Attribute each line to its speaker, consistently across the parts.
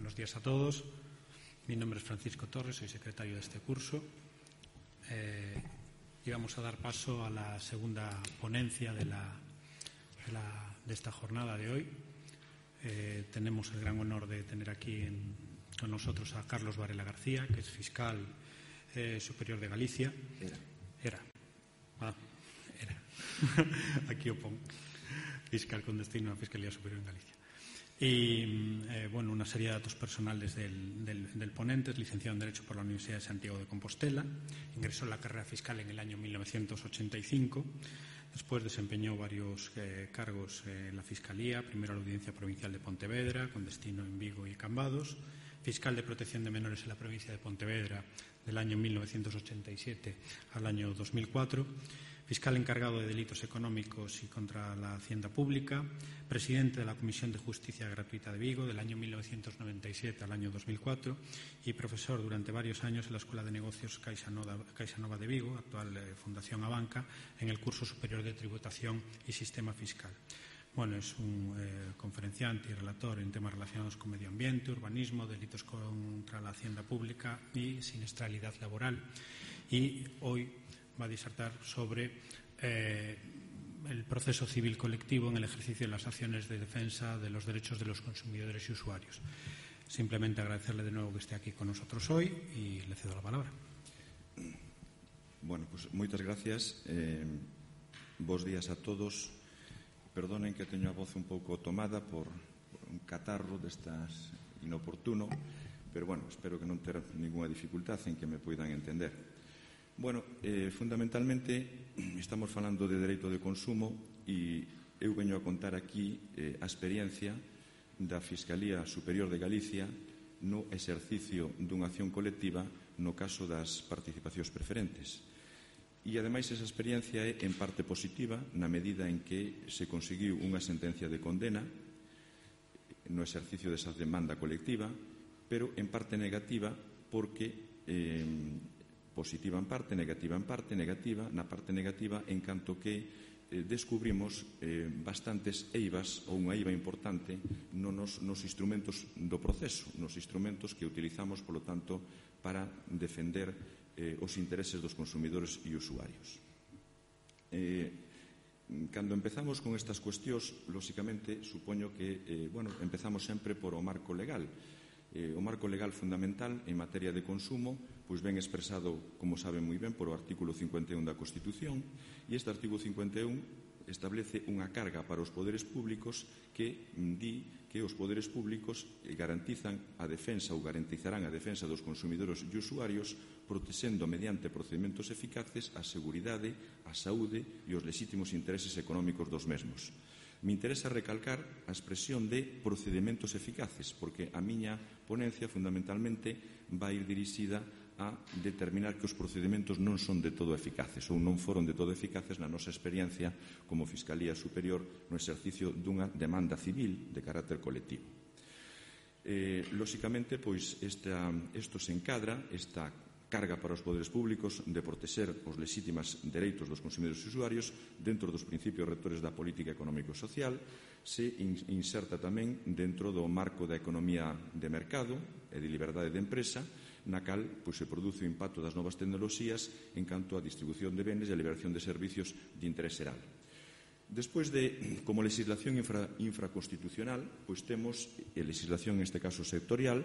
Speaker 1: Buenos días a todos. Mi nombre es Francisco Torres, soy secretario de este curso. Y vamos a dar paso a la segunda ponencia de esta jornada de hoy. Tenemos el gran honor de tener aquí con nosotros a Carlos Varela García, que es fiscal superior de Galicia. Era. Aquí o pon. Fiscal con destino a Fiscalía Superior en Galicia. Y, una serie de datos personales del ponente. Es licenciado en Derecho por la Universidad de Santiago de Compostela. Ingresó en la carrera fiscal en el año 1985. Después desempeñó varios cargos en la Fiscalía. Primero a la Audiencia Provincial de Pontevedra, con destino en Vigo y Cambados. Fiscal de Protección de Menores en la provincia de Pontevedra del año 1987 al año 2004. Fiscal encargado de delitos económicos y contra la hacienda pública, presidente de la Comisión de Justicia Gratuita de Vigo del año 1997 al año 2004 y profesor durante varios años en la Escuela de Negocios CaixaNova de Vigo, actual Fundación Abanca, en el curso superior de Tributación y Sistema Fiscal. Es un conferenciante y relator en temas relacionados con medio ambiente, urbanismo, delitos contra la hacienda pública y siniestralidad laboral. Y hoy va a disertar sobre el proceso civil colectivo en el ejercicio de las acciones de defensa de los derechos de los consumidores y usuarios. Simplemente agradecerle de nuevo que esté aquí con nosotros hoy y le cedo la palabra.
Speaker 2: Moitas gracias. Bos días a todos. Perdonen que teño a voz un pouco tomada por un catarro destas inoportuno, pero espero que non ter ninguna dificultade en que me poidan entender. Fundamentalmente estamos falando de dereito de consumo e eu veño a contar aquí a experiencia da Fiscalía Superior de Galicia no exercicio dunha acción colectiva no caso das participacións preferentes. E, ademais, esa experiencia é en parte positiva na medida en que se conseguiu unha sentencia de condena no exercicio desa demanda colectiva, pero en parte negativa porque positiva en parte, negativa en parte, negativa na parte negativa en canto que descubrimos bastantes eivas ou unha eiva importante nos instrumentos do proceso, nos instrumentos que utilizamos, polo tanto, para defender os intereses dos consumidores e usuarios. Cando empezamos con estas cuestións, lóxicamente, supoño que empezamos sempre por o marco legal. O marco legal fundamental en materia de consumo ven expresado, como saben moi ben, por o artículo 51 da Constitución, e este artículo 51 establece unha carga para os poderes públicos que di que os poderes públicos garantizan a defensa ou garantizarán a defensa dos consumidores e usuarios protexendo mediante procedimentos eficaces a seguridade, a saúde e os lexítimos intereses económicos dos mesmos. Me interesa recalcar a expresión de procedimentos eficaces, porque a miña ponencia fundamentalmente vai ir dirixida a determinar que os procedimentos non son de todo eficaces ou non foron de todo eficaces na nosa experiencia como Fiscalía Superior no exercicio dunha demanda civil de carácter colectivo. Lóxicamente, isto se encadra, esta carga para os poderes públicos de protexer os lexítimos dereitos dos consumidores e usuarios dentro dos principios rectores da política económica e social, se inserta tamén dentro do marco da economía de mercado e de liberdade de empresa, na cal se produce o impacto das novas tecnoloxías en canto á distribución de benes e a liberación de servicios de interés xeral. Despois de, como legislación infraconstitucional, temos legislación, neste caso sectorial,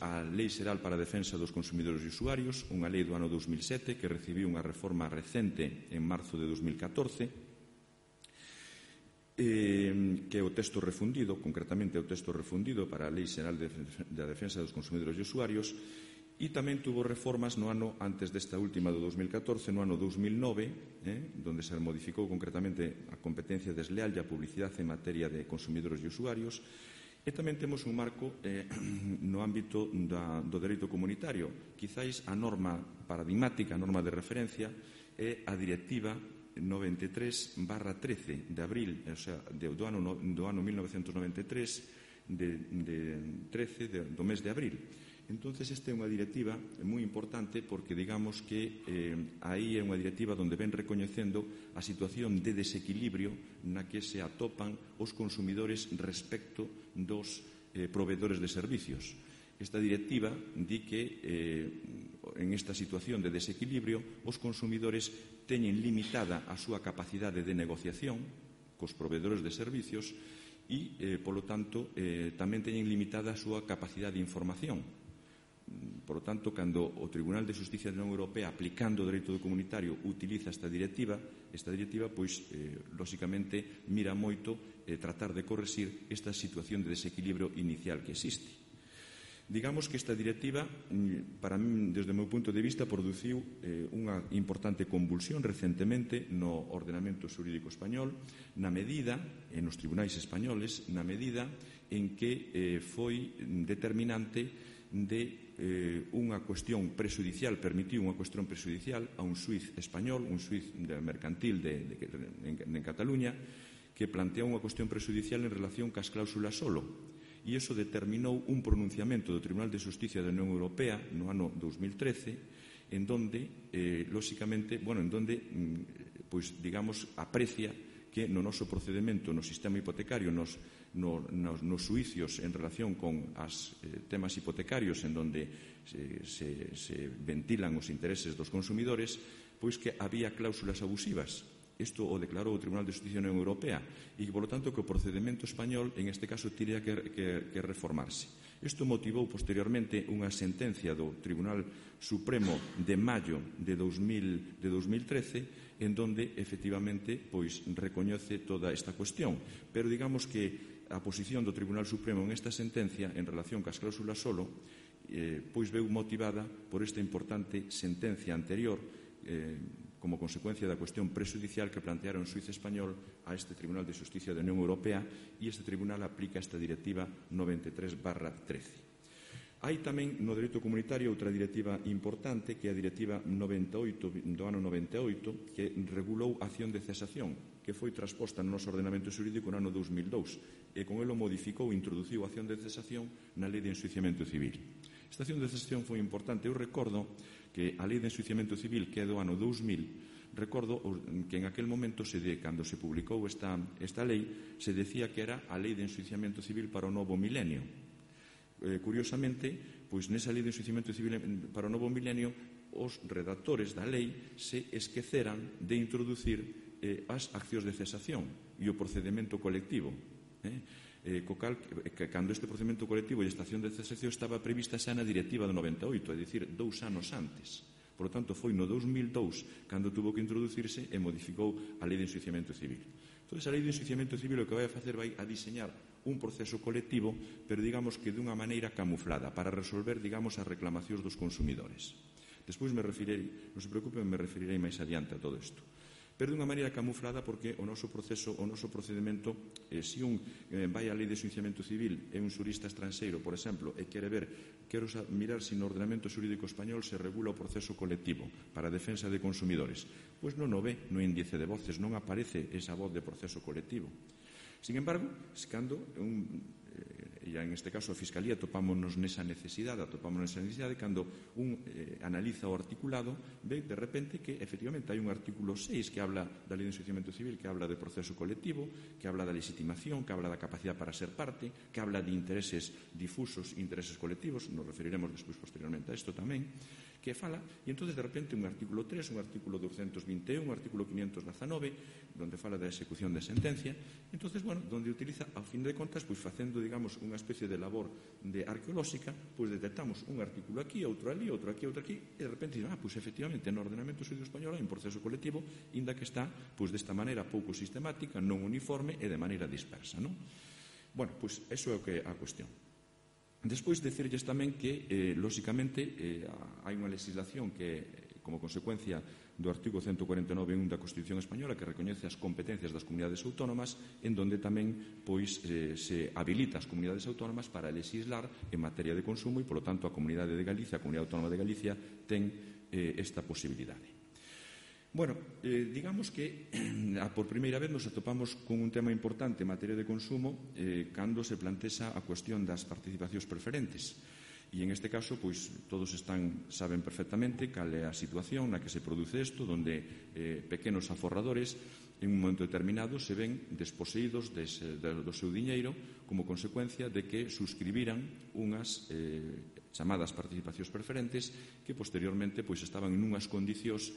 Speaker 2: a Lei Xeral para a Defensa dos Consumidores e Usuarios, unha lei do ano 2007 que recibiu unha reforma recente en marzo de 2014, que é o texto refundido, concretamente o texto refundido para a Lei Xeral da Defensa dos Consumidores e Usuarios, e tamén tuvo reformas no ano antes desta última do 2014, no ano 2009, donde se modificou concretamente a competencia desleal e a publicidade en materia de consumidores e usuarios, e tamén temos un marco no ámbito do dereito comunitario. Quizáis a norma paradigmática, a norma de referencia, é a Directiva 93/13 de abril, do ano 1993, do mes de abril. Entonces, esta é unha directiva moi importante porque, digamos que aí é unha directiva onde ven recoñecendo a situación de desequilibrio na que se atopan os consumidores respecto dos proveedores de servicios. Esta directiva di que en esta situación de desequilibrio os consumidores teñen limitada a súa capacidade de negociación cos proveedores de servicios e, polo tanto, tamén teñen limitada a súa capacidade de información. Por lo tanto, cando o Tribunal de Xusticia da Unión Europea, aplicando o dereito comunitario, utiliza esta directiva, pois, lóxicamente, mira moito tratar de correxir esta situación de desequilibrio inicial que existe. Digamos que esta directiva, para mí, desde o meu punto de vista, produciu unha importante convulsión recentemente no ordenamento xurídico español, na medida, en os tribunais españoles, na medida en que foi determinante de unha cuestión prexudicial, permitiu unha cuestión prexudicial a un xuiz español, un xuiz mercantil en Cataluña, que planteou unha cuestión prexudicial en relación cas cláusulas solo. E iso determinou un pronunciamento do Tribunal de Xusticia da Unión Europea no ano 2013 en donde, lóxicamente, pois, digamos, aprecia que no noso procedemento no sistema hipotecario, nos xuicios en relación con os temas hipotecarios en donde se ventilan os intereses dos consumidores, pois que había cláusulas abusivas. Isto o declarou o Tribunal de Xusticia da Unión Europea e, por lo tanto, que o procedemento español, en este caso, tiría que reformarse. Isto motivou posteriormente unha sentencia do Tribunal Supremo de maio de 2013 en donde, efectivamente, pois recoñece toda esta cuestión. Pero digamos que a posición do Tribunal Supremo en esta sentencia en relación cas cláusulas solo pois veu motivada por esta importante sentencia anterior como consecuencia da cuestión prexudicial que planteara un xuiz español a este Tribunal de Xusticia da Unión Europea e este Tribunal aplica esta Directiva 93/13. Hai tamén no dereito comunitario outra directiva importante que é a Directiva 98 do ano 98 que regulou a acción de cesación que foi transposta no noso ordenamento xurídico no ano 2002 e con elo modificou e introduciu a acción de cesación na Lei de Enxuiciamento Civil. Esta acción de cesación foi importante. Eu recordo que a Lei de Enxuiciamento Civil, que é do ano 2000, recordo que en aquel momento, cando se publicou esta lei, se decía que era a Lei de Enxuiciamento Civil para o novo milenio. Curiosamente, pois nesa Lei de Enxuiciamento Civil para o novo milenio, os redactores da lei se esqueceran de introducir as accións de cesación e o procedemento colectivo. Cando este procedimento colectivo e esta acción de cesación estaba prevista xa na Directiva do 98, é dicir, 2 anos antes. Por lo tanto, foi no 2002 cando tuvo que introducirse e modificou a Lei de Enxuiciamento Civil. Entón, a Lei de Enxuiciamento Civil o que vai a facer vai a diseñar un proceso colectivo, pero digamos que dunha maneira camuflada, para resolver, digamos, as reclamacións dos consumidores. Despois me referirei, non se preocupen, me referirei máis adiante a todo isto. Pero dunha maneira camuflada porque o noso procedimento, se un vai á Lei de Enxuiciamento Civil e un xurista estranxeiro, por exemplo, e quero mirar se no ordenamento xurídico español se regula o proceso colectivo para a defensa de consumidores. Pois non o ve no índice de voces, non aparece esa voz de proceso colectivo. Sin embargo, cando e en este caso a Fiscalía atopámonos nesa necesidade cando un analiza o articulado, ve de repente que efectivamente hai un artículo 6 que habla da Lei de Enxuiciamento Civil, que habla de proceso colectivo, que habla da legitimación, que habla da capacidade para ser parte, que habla de intereses difusos e intereses colectivos, nos referiremos despois posteriormente a isto tamén, que fala, e entón de repente un artículo 3, un artículo 221, un artículo 519, donde fala da execución de sentencia, entón, donde utiliza, ao fin de contas, pois facendo, digamos, unha especie de labor de arqueolóxica, pois detectamos un artículo aquí, outro ali, outro aquí, e de repente, pois efectivamente, no ordenamento xurídico español hai un proceso colectivo, inda que está, pois desta maneira pouco sistemática, non uniforme e de maneira dispersa, non? Bueno, pois, eso é o que é a cuestión. Despois, decirlles tamén que, lóxicamente, hai unha legislación que, como consecuencia do artigo 149.1 da Constitución Española, que recoñece as competencias das comunidades autónomas, en donde tamén se habilita as comunidades autónomas para legislar en materia de consumo e, polo tanto, a Comunidade de Galicia, a Comunidade Autónoma de Galicia, ten esta posibilidade. Bueno, digamos que por primeira vez nos atopamos con un tema importante en materia de consumo cando se plantexa a cuestión das participacións preferentes. E en este caso, pois, todos saben perfectamente cal é a situación na que se produce isto, donde pequenos aforradores en un momento determinado se ven desposeídos do seu diñeiro como consecuencia de que suscribiran unhas chamadas participacións preferentes que posteriormente estaban en unhas condicións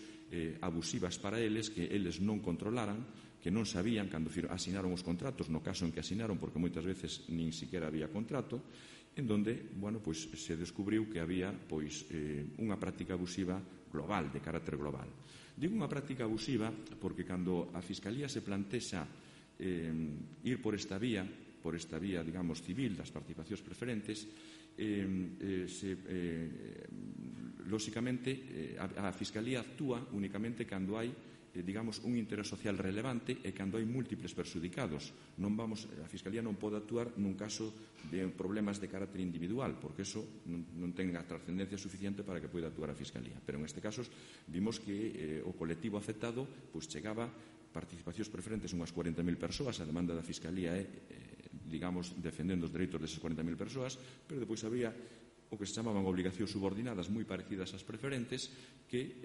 Speaker 2: abusivas para eles que eles non controlaran, que non sabían cando asinaron os contratos, no caso en que asinaron, porque moitas veces nin siquiera había contrato, en donde se descubriu que había unha práctica abusiva global, de carácter global. Digo unha práctica abusiva porque cando a Fiscalía se plantexa ir por esta vía, digamos, civil das participacións preferentes, lóxicamente a Fiscalía actúa únicamente cando hai digamos, un interés social relevante e cando hai múltiples perxudicados. A Fiscalía non pode actuar nun caso de problemas de carácter individual, porque eso non ten a trascendencia suficiente para que poida actuar a Fiscalía. Pero en este caso vimos que o colectivo afectado chegaba participacións preferentes unhas 40.000 persoas, a demanda da Fiscalía é, digamos, defendendo os dereitos desas 40.000 persoas, pero depois había o que se chamaban obligacións subordinadas moi parecidas ás preferentes que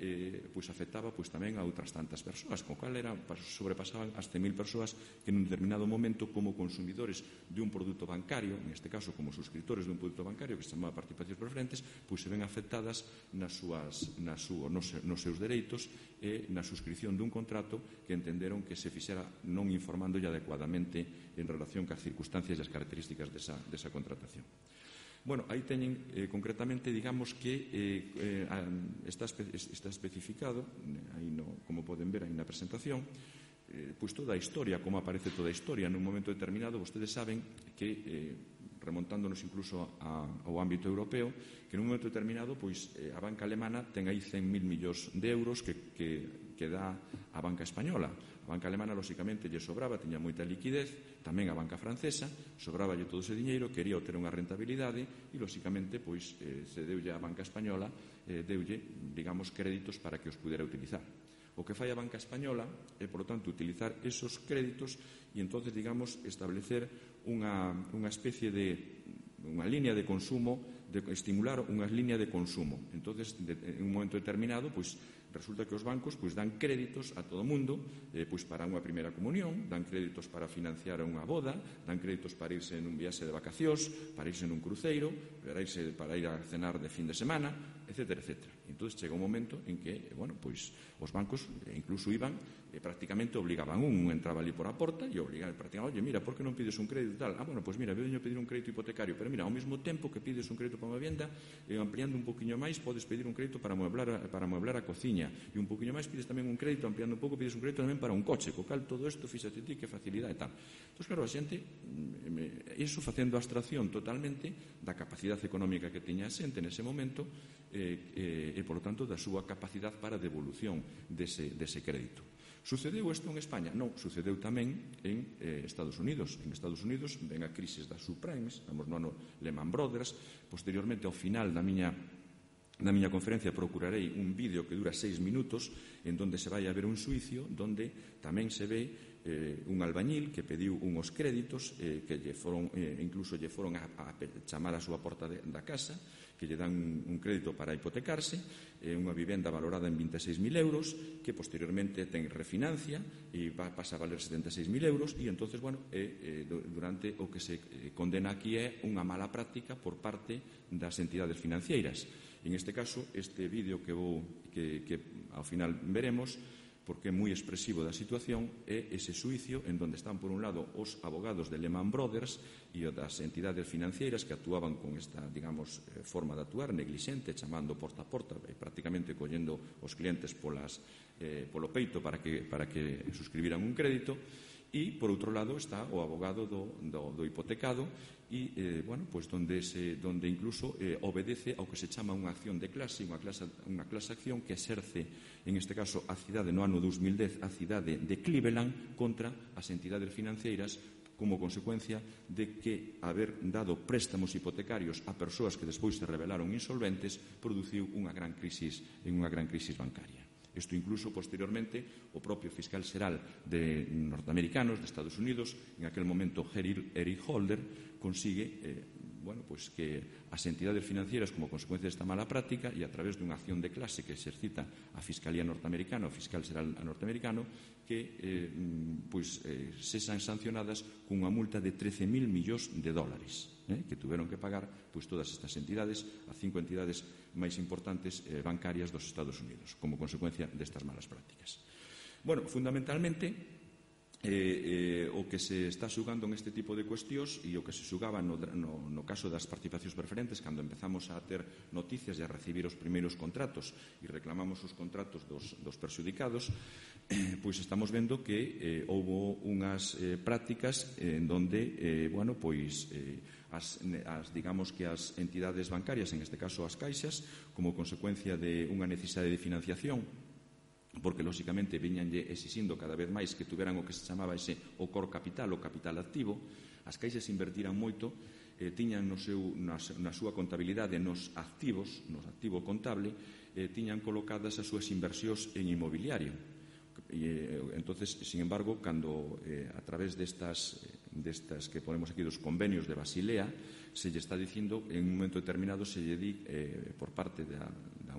Speaker 2: afectaba tamén a outras tantas persoas, con cal sobrepasaban as 100.000 persoas que nun determinado momento como consumidores de un produto bancario, en este caso como suscriptores de un produto bancario que se chamaba participacións preferentes, se ven afectadas nos seus dereitos e na suscripción dun contrato que entenderon que se fixera non informándolle adecuadamente en relación cas circunstancias e as características desa contratación. Bueno, aí teñen concretamente, digamos que está especificado, como poden ver aí na presentación, toda a historia, como aparece toda a historia nun momento determinado. Vostedes saben que, remontándonos incluso ao ámbito europeo, que nun momento determinado a banca alemana ten aí 100.000 millóns de euros que dá a banca española. A banca alemana, lóxicamente, lle sobraba, tiña moita liquidez, tamén a banca francesa, sobraballe todo ese diñeiro, quería obter unha rentabilidade e, lóxicamente, se deulle a banca española, deulle, digamos, créditos para que os pudera utilizar. O que fai a banca española é, por lo tanto, utilizar esos créditos e, entonces, digamos, establecer unha especie de unha línea de consumo, de estimular unha línea de consumo. Entonces, en un momento determinado, resulta que os bancos dan créditos a todo o mundo para unha primeira comunión, dan créditos para financiar unha boda, dan créditos para irse nun viaxe de vacacións, para irse nun cruceiro, para ir a cenar de fin de semana, etcétera, etcétera. Entón, chega un momento en que, os bancos incluso iban prácticamente obligaban entraba ali por a porta e obligaban prácticamente, oye, mira, por que non pides un crédito tal? Mira, veño a pedir un crédito hipotecario, pero mira, ao mesmo tempo que pides un crédito para unha vivienda, ampliando un poquinho máis, podes pedir un crédito para amueblar a cociña, e un poquinho máis pides tamén un crédito, ampliando un pouco, pides un crédito tamén para un coche, co cal todo isto, fíxate ti, que facilidade e tal. Entón, claro, a xente, iso facendo abstracción totalmente da capacidade económica que tiña a xente nese momento e, por lo tanto, da súa capacidade para devolución dese crédito. Sucedeu isto en España? Non, sucedeu tamén en Estados Unidos. En Estados Unidos ven a crisis das subprimes, estamos no ano Lehman Brothers. Posteriormente, ao final da miña conferencia, procurarei un vídeo que dura 6 minutos en donde se vai a ver un suicio donde tamén se ve un albañil que pediu unhos créditos que incluso lle foron a chamar a súa porta da casa, que lle dan un crédito para hipotecarse, unha vivenda valorada en 26.000 euros, que posteriormente ten refinancia e pasa a valer 76.000 euros, e entonces, durante o que se condena aquí é unha mala práctica por parte das entidades financeiras. En este caso, este vídeo que ao final veremos, porque é moi expresivo da situación, é ese suicio en donde están, por un lado, os abogados de Lehman Brothers e das entidades financeiras que actuaban con esta, digamos, forma de actuar neglixente, chamando porta a porta e prácticamente collendo os clientes polo peito para que suscribiran un crédito. E, por outro lado, está o abogado do hipotecado e, donde incluso obedece ao que se chama unha acción de clase, unha clase acción que exerce, en este caso, a cidade no ano 2010, a cidade de Cleveland contra as entidades financeiras como consecuencia de que haber dado préstamos hipotecarios a persoas que despois se revelaron insolventes produciu unha gran crisis bancaria. Isto incluso posteriormente o propio fiscal xeral de norteamericanos de Estados Unidos, en aquel momento Eric Holder, consigue que as entidades financieras, como consecuencia desta mala práctica e a través dunha acción de clase que exercita a Fiscalía norteamericana, o Fiscal Xeral norteamericano, que sexan sancionadas cunha multa de 13.000 millóns de dólares, que tuveron que pagar todas estas entidades, as 5 entidades máis importantes bancarias dos Estados Unidos, como consecuencia destas malas prácticas. Fundamentalmente, o que se está xugando neste tipo de cuestións e o que se xugaba no caso das participacións preferentes, cando empezamos a ter noticias e a recibir os primeiros contratos e reclamamos os contratos dos perxudicados, pois estamos vendo que houbo unhas prácticas en donde digamos que as entidades bancarias, en este caso as caixas, como consecuencia de unha necesidade de financiación, porque lóxicamente viñanlle exixindo cada vez máis que tuveran o que se chamaba o core capital, o capital activo, as caixas invertiran moito, tiñan na súa contabilidade nos activos, no activo contable, tiñan colocadas as súas inversións en inmobiliario. Entonces, sin embargo, cando a través destas que ponemos aquí dos convenios de Basilea, se lle está dicindo, en un momento determinado se lle di por parte da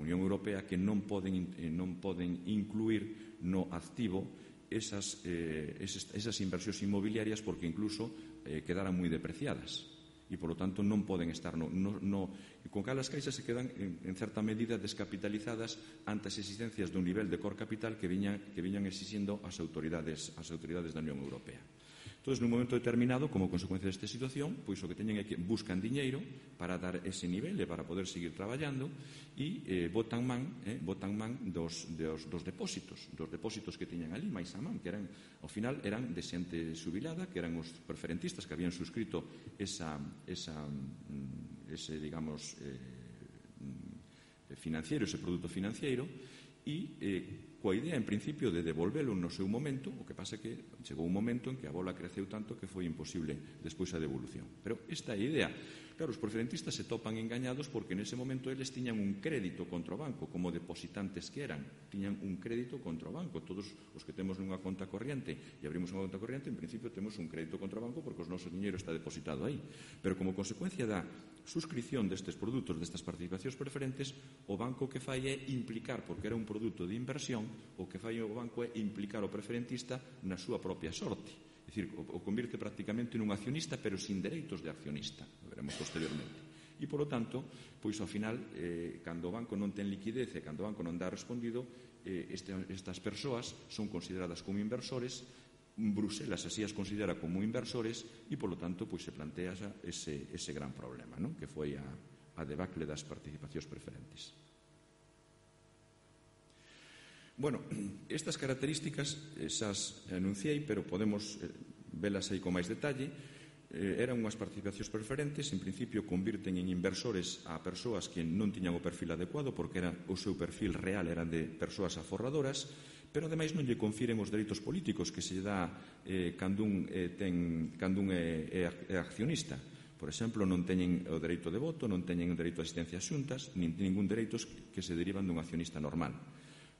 Speaker 2: Unión Europea que non poden incluir no activo esas inversións inmobiliarias porque incluso quedaran moi depreciadas e, polo tanto, non poden estar con cal as caixas se quedan en certa medida descapitalizadas ante as existencias dun nivel de core capital que viñan exixindo as autoridades da Unión Europea. Entón, nun momento determinado, como consecuencia desta situación, pois o que teñen é que buscan diñeiro para dar ese nivel e para poder seguir traballando e botan man dos depósitos que teñan ali, máis a man, que ao final eran de xente xubilada, que eran os preferentistas que habían suscrito ese produto financiero e coa idea, en principio, de devolvelo no seu momento. O que pasa é que chegou un momento en que a bola creceu tanto que foi imposible despois a devolución. Pero esta é a idea. Claro, os preferentistas se topan engañados porque nese momento eles tiñan un crédito contra o banco, como depositantes que eran. Tiñan un crédito contra o banco. Todos os que temos nunha conta corriente e abrimos unha conta corriente, en principio temos un crédito contra o banco porque o noso diñeiro está depositado aí. Pero como consecuencia da suscripción destes produtos, destas participacións preferentes, o banco que fai é implicar, porque era un produto de inversión, o que fai o banco é implicar o preferentista na súa propia sorte. É dicir, o convirte prácticamente nun accionista, pero sin dereitos de accionista, lo veremos posteriormente. E, polo tanto, pois ao final, cando o banco non ten liquidez e cando o banco non dá respondido, estas persoas son consideradas como inversores, Bruselas así as considera como inversores e, polo tanto, pois se plantea ese gran problema, non? Que foi a debacle das participacións preferentes. Bueno, estas características esas anunciei, pero podemos velas aí con máis detalle. Eran unhas participacións preferentes, en principio convirten en inversores a persoas que non tiñan o perfil adecuado, porque o seu perfil real eran de persoas aforradoras, pero ademais non lle confiren os dereitos políticos que se lle dá cando un é accionista. Por exemplo, non teñen o dereito de voto, non teñen o dereito a asistencia a xuntas, nin ningún dereitos que se derivan dun accionista normal.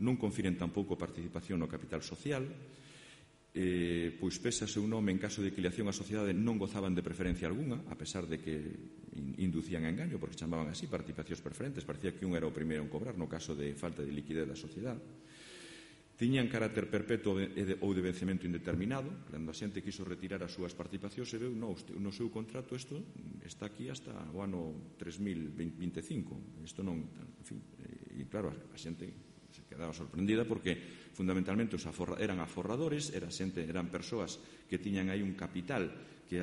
Speaker 2: Non confiren tampouco participación no capital social, pois pese a seu nome, en caso de filiación á sociedade, non gozaban de preferencia algunha, a pesar de que inducían a engaño, porque chamaban así participacións preferentes, parecía que un era o primeiro en cobrar no caso de falta de liquidez da sociedade. Tiñan carácter perpetuo ou de vencemento indeterminado. Cando a xente quiso retirar as súas participacións, se veu no seu contrato isto está aquí hasta o ano 3025. Isto non, en fin, e claro, a xente se quedaba sorprendida porque fundamentalmente eran aforradores, eran persoas que tiñan aí un capital que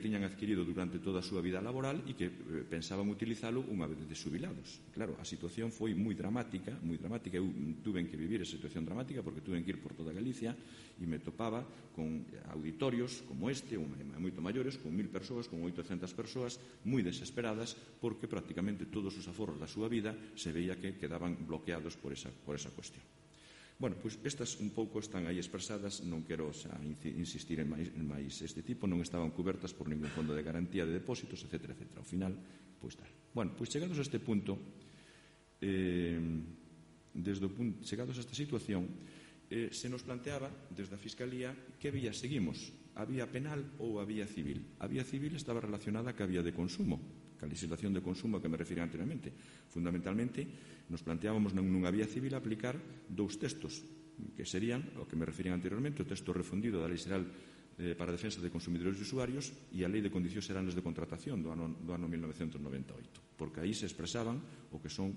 Speaker 2: tiñan adquirido durante toda a súa vida laboral e que pensaban utilizalo unha vez de xubilados. Claro, a situación foi moi dramática. Eu tuve que vivir esa situación dramática porque tuve que ir por toda Galicia e me topaba con auditorios como este, moito maiores, con 1000 persoas, con 800 persoas, moi desesperadas porque prácticamente todos os aforros da súa vida se veía que quedaban bloqueados por esa cuestión. Bueno, pois estas un pouco están aí expresadas, non quero xa insistir en máis este tipo, non estaban cubertas por ningún fondo de garantía de depósitos, etc. Ao final, pois tal. Bueno, pois chegados a este punto, chegados a esta situación, se nos planteaba desde a Fiscalía que vías seguimos. a vía penal ou a vía civil. A vía civil estaba relacionada ca vía de consumo, ca legislación de consumo que me referi anteriormente. Fundamentalmente, nos planteábamos nunha vía civil aplicar dous textos, que serían, o que me referían anteriormente, o texto refundido da Lei Xeral para a Defensa de Consumidores e Usuarios e a Lei de Condicións Xerales de Contratación do ano 1998, porque aí se expresaban o que son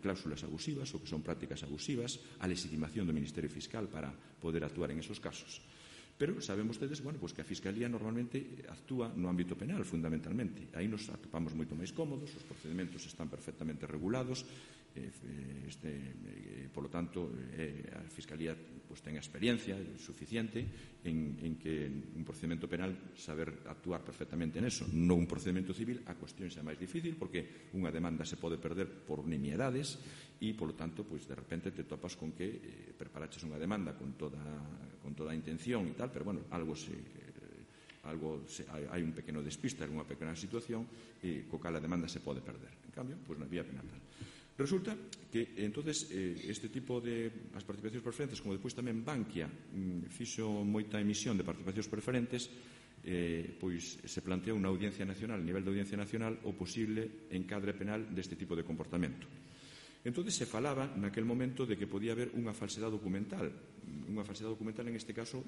Speaker 2: cláusulas abusivas, o que son prácticas abusivas, a legitimación do Ministerio Fiscal para poder actuar en esos casos. Pero saben vostedes, que a Fiscalía normalmente actúa no ámbito penal, fundamentalmente. Aí nos atopamos moito máis cómodos, os procedementos están perfectamente regulados, polo tanto, a Fiscalía ten experiencia suficiente en que un procedimento penal saber actuar perfectamente en eso. Non un procedimento civil, a cuestión xa máis difícil, porque unha demanda se pode perder por nimiedades e, polo tanto, de repente te topas con que preparaches unha demanda con toda a intención e tal, pero, hai un pequeno despiste, unha pequena situación co cal a demanda se pode perder. En cambio, na vía penal tal. Resulta que, entonces, este tipo de as participacións preferentes, como despois tamén Bankia fixo moita emisión de participacións preferentes, se planteou na Audiencia Nacional, a nivel da Audiencia Nacional, o posible encadre penal deste tipo de comportamento. Entón, se falaba naquel momento de que podía haber unha falsedade documental, en este caso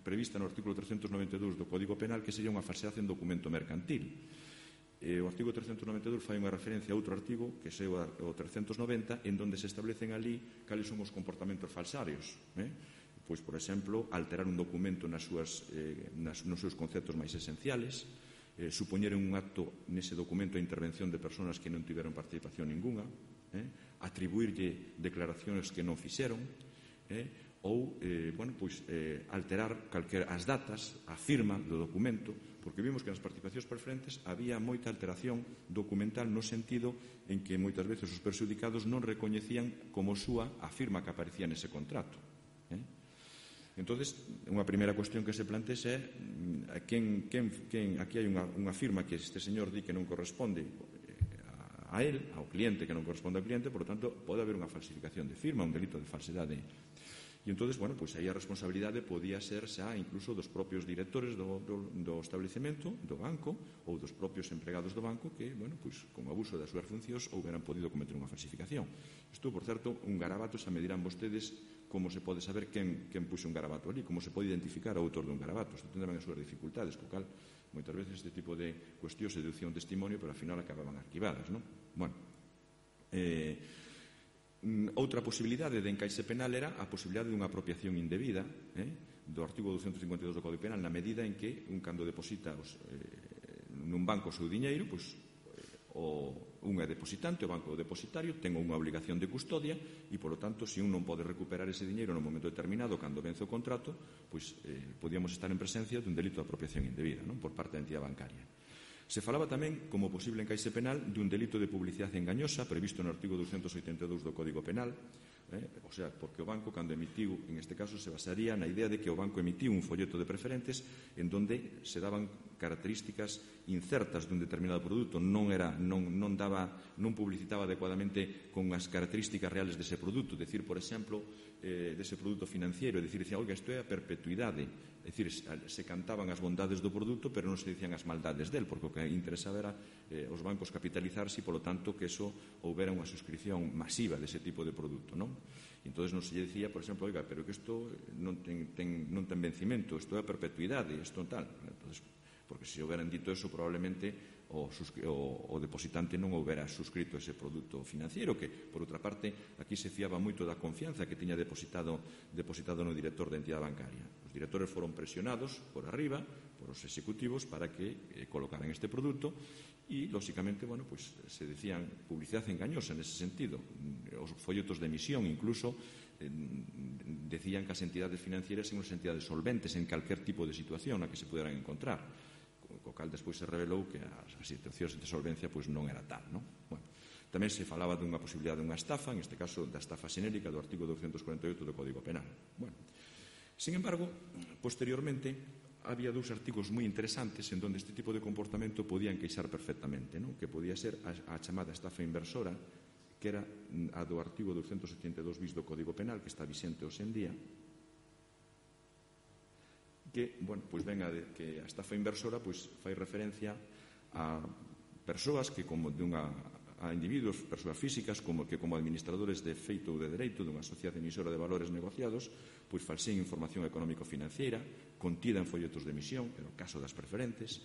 Speaker 2: prevista no artículo 392 do Código Penal, que sería unha falsedade en documento mercantil. O artigo 392 fai unha referencia a outro artigo, que é o 390, en donde se establecen ali cales son os comportamentos falsarios. Pois, por exemplo, alterar un documento nos seus conceptos máis esenciales, supoñer un acto nese documento a intervención de persoas que non tiveron participación ninguna, atribuirlle declaracións que non fixeron, ou alterar as datas, a firma do documento, porque vimos que nas participacións preferentes había moita alteración documental no sentido en que moitas veces os perxudicados non recoñecían como súa a firma que aparecía nese contrato. Entón, unha primeira cuestión que se plantexa é aquí hai unha firma que este señor di que non corresponde a él, ao cliente, que non corresponde ao cliente, por lo tanto, pode haber unha falsificación de firma, un delito de falsedade. E entón, aí a responsabilidade podía ser xa incluso dos propios directores do establecemento, do banco, ou dos propios empregados do banco que, con abuso das súas funcións, houberan podido cometer unha falsificación. Isto, por certo, un garabato, xa me dirán vostedes como se pode saber quen puxo un garabato ali, como se pode identificar o autor dun garabato. Isto tendrán as súas dificultades, co cal moitas veces este tipo de cuestións se deducía un testimonio, pero ao final acababan arquivadas, non? Outra posibilidade de encaixe penal era a posibilidade dunha apropiación indebida do artigo 252 do Código Penal, na medida en que cando deposita nun banco o seu diñeiro, un é depositante, o banco é o depositario, ten unha obligación de custodia e, polo tanto, se un non pode recuperar ese diñeiro no momento determinado cando vence o contrato, podíamos estar en presencia dun delito de apropiación indebida por parte da entidade bancaria. Se falaba tamén como posible encaixe penal dun delito de publicidade engañosa previsto no artigo 282 do Código Penal, porque o banco, cando emitiu, en este caso, se basaría na idea de que o banco emitiu un folleto de preferentes en donde se daban características incertas dun determinado produto, non publicitaba adecuadamente con as características reales dese produto, decir, por exemplo, dese produto financiero, dicía, oiga, isto é a perpetuidade, é dicir, se cantaban as bondades do produto, pero non se dicían as maldades del, porque o que interesaba era os bancos capitalizarse e, polo tanto, que eso houbera unha suscripción masiva dese tipo de produto, non? E entón non se lle dicía, por exemplo, oiga, pero que isto non ten vencimento, isto é a perpetuidade, isto tal. Entón, porque se houberan dito eso, probablemente o depositante non houbera suscrito ese produto financiero, que, por outra parte, aquí se fiaba moito da confianza que tiña depositado no director da entidade bancaria. Os directores foron presionados por arriba, por os executivos, para que colocaran este produto e, lóxicamente, se decían publicidade engañosa nese sentido. Os folletos de emisión, incluso, decían que as entidades financieras eran unhas entidades solventes en calquer tipo de situación na que se puderan encontrar, co cal despois se revelou que as situacións de solvencia non era tal, non? Tamén se falaba dunha posibilidade dunha estafa, en este caso da estafa xenérica do artigo 248 do Código Penal. Sin embargo, posteriormente, había dous artigos moi interesantes en donde este tipo de comportamento podía encaixar perfectamente, non? Que podía ser a chamada estafa inversora, que era a do artigo 272 bis do Código Penal, que está vixente hoxe en día, que, bueno, pois ven que a estafa inversora pois fai referencia a persoas que a individuos, persoas físicas que como administradores de feito ou de dereito dunha sociedade emisora de valores negociados pois falseen información económico-financiera contida en folletos de emisión, era o caso das preferentes,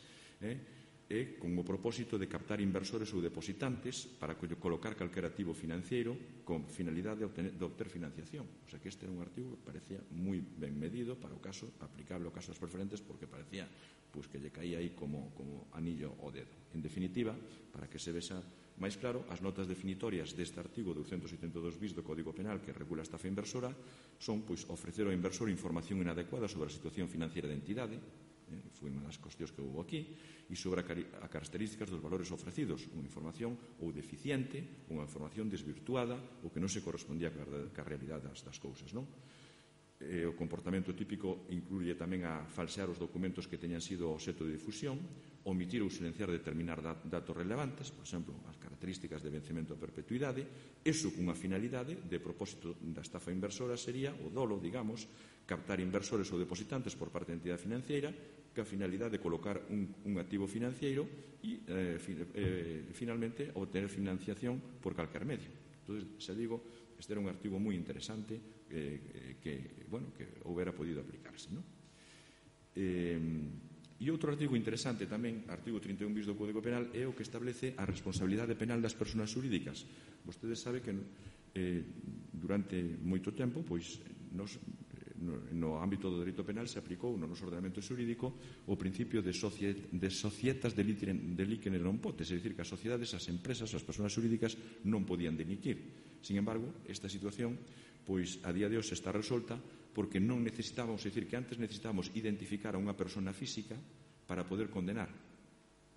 Speaker 2: e con o propósito de captar inversores ou depositantes para colocar calquer activo financiero con finalidade de obter financiación. O sea que este era un artigo que parecía moi ben medido para o caso, aplicable ao caso das preferentes, porque parecía pois, que lle caía aí como anillo ao dedo. En definitiva, para que se vexa máis claro, as notas definitorias deste artigo 272 bis do Código Penal que regula a estafa inversora son pois, ofrecer ao inversor información inadecuada sobre a situación financiera da entidade, foi unha das cuestións que houve aquí, e sobre a características dos valores ofrecidos, unha información ou deficiente, unha información desvirtuada ou que non se correspondía ca realidade das cousas, non? O comportamento típico incluye tamén a falsear os documentos que teñan sido obxecto de difusión, omitir ou silenciar determinar datos relevantes, por exemplo, as características de vencemento a perpetuidade, eso cunha finalidade de propósito da estafa inversora sería o dolo, digamos, captar inversores ou depositantes por parte da entidade financiera que a finalidade de colocar un activo financiero e, finalmente, obter financiación por calquer medio. Entón, xa digo, este era un artigo moi interesante que houbera podido aplicarse, non? E outro artigo interesante tamén, artigo 31 bis do Código Penal, é o que establece a responsabilidade penal das persoas xurídicas. Vostedes sabe que durante moito tempo, pois, no ámbito do dereito penal se aplicou no noso ordenamento xurídico o principio de societas delicere non potes, é dicir, que as sociedades, as empresas, as persoas xurídicas non podían delinquir. Sin embargo, esta situación, pois, a día de hoxe está resolta porque non necesitábamos, é dicir, que antes necesitábamos identificar a unha persona física para poder condenar.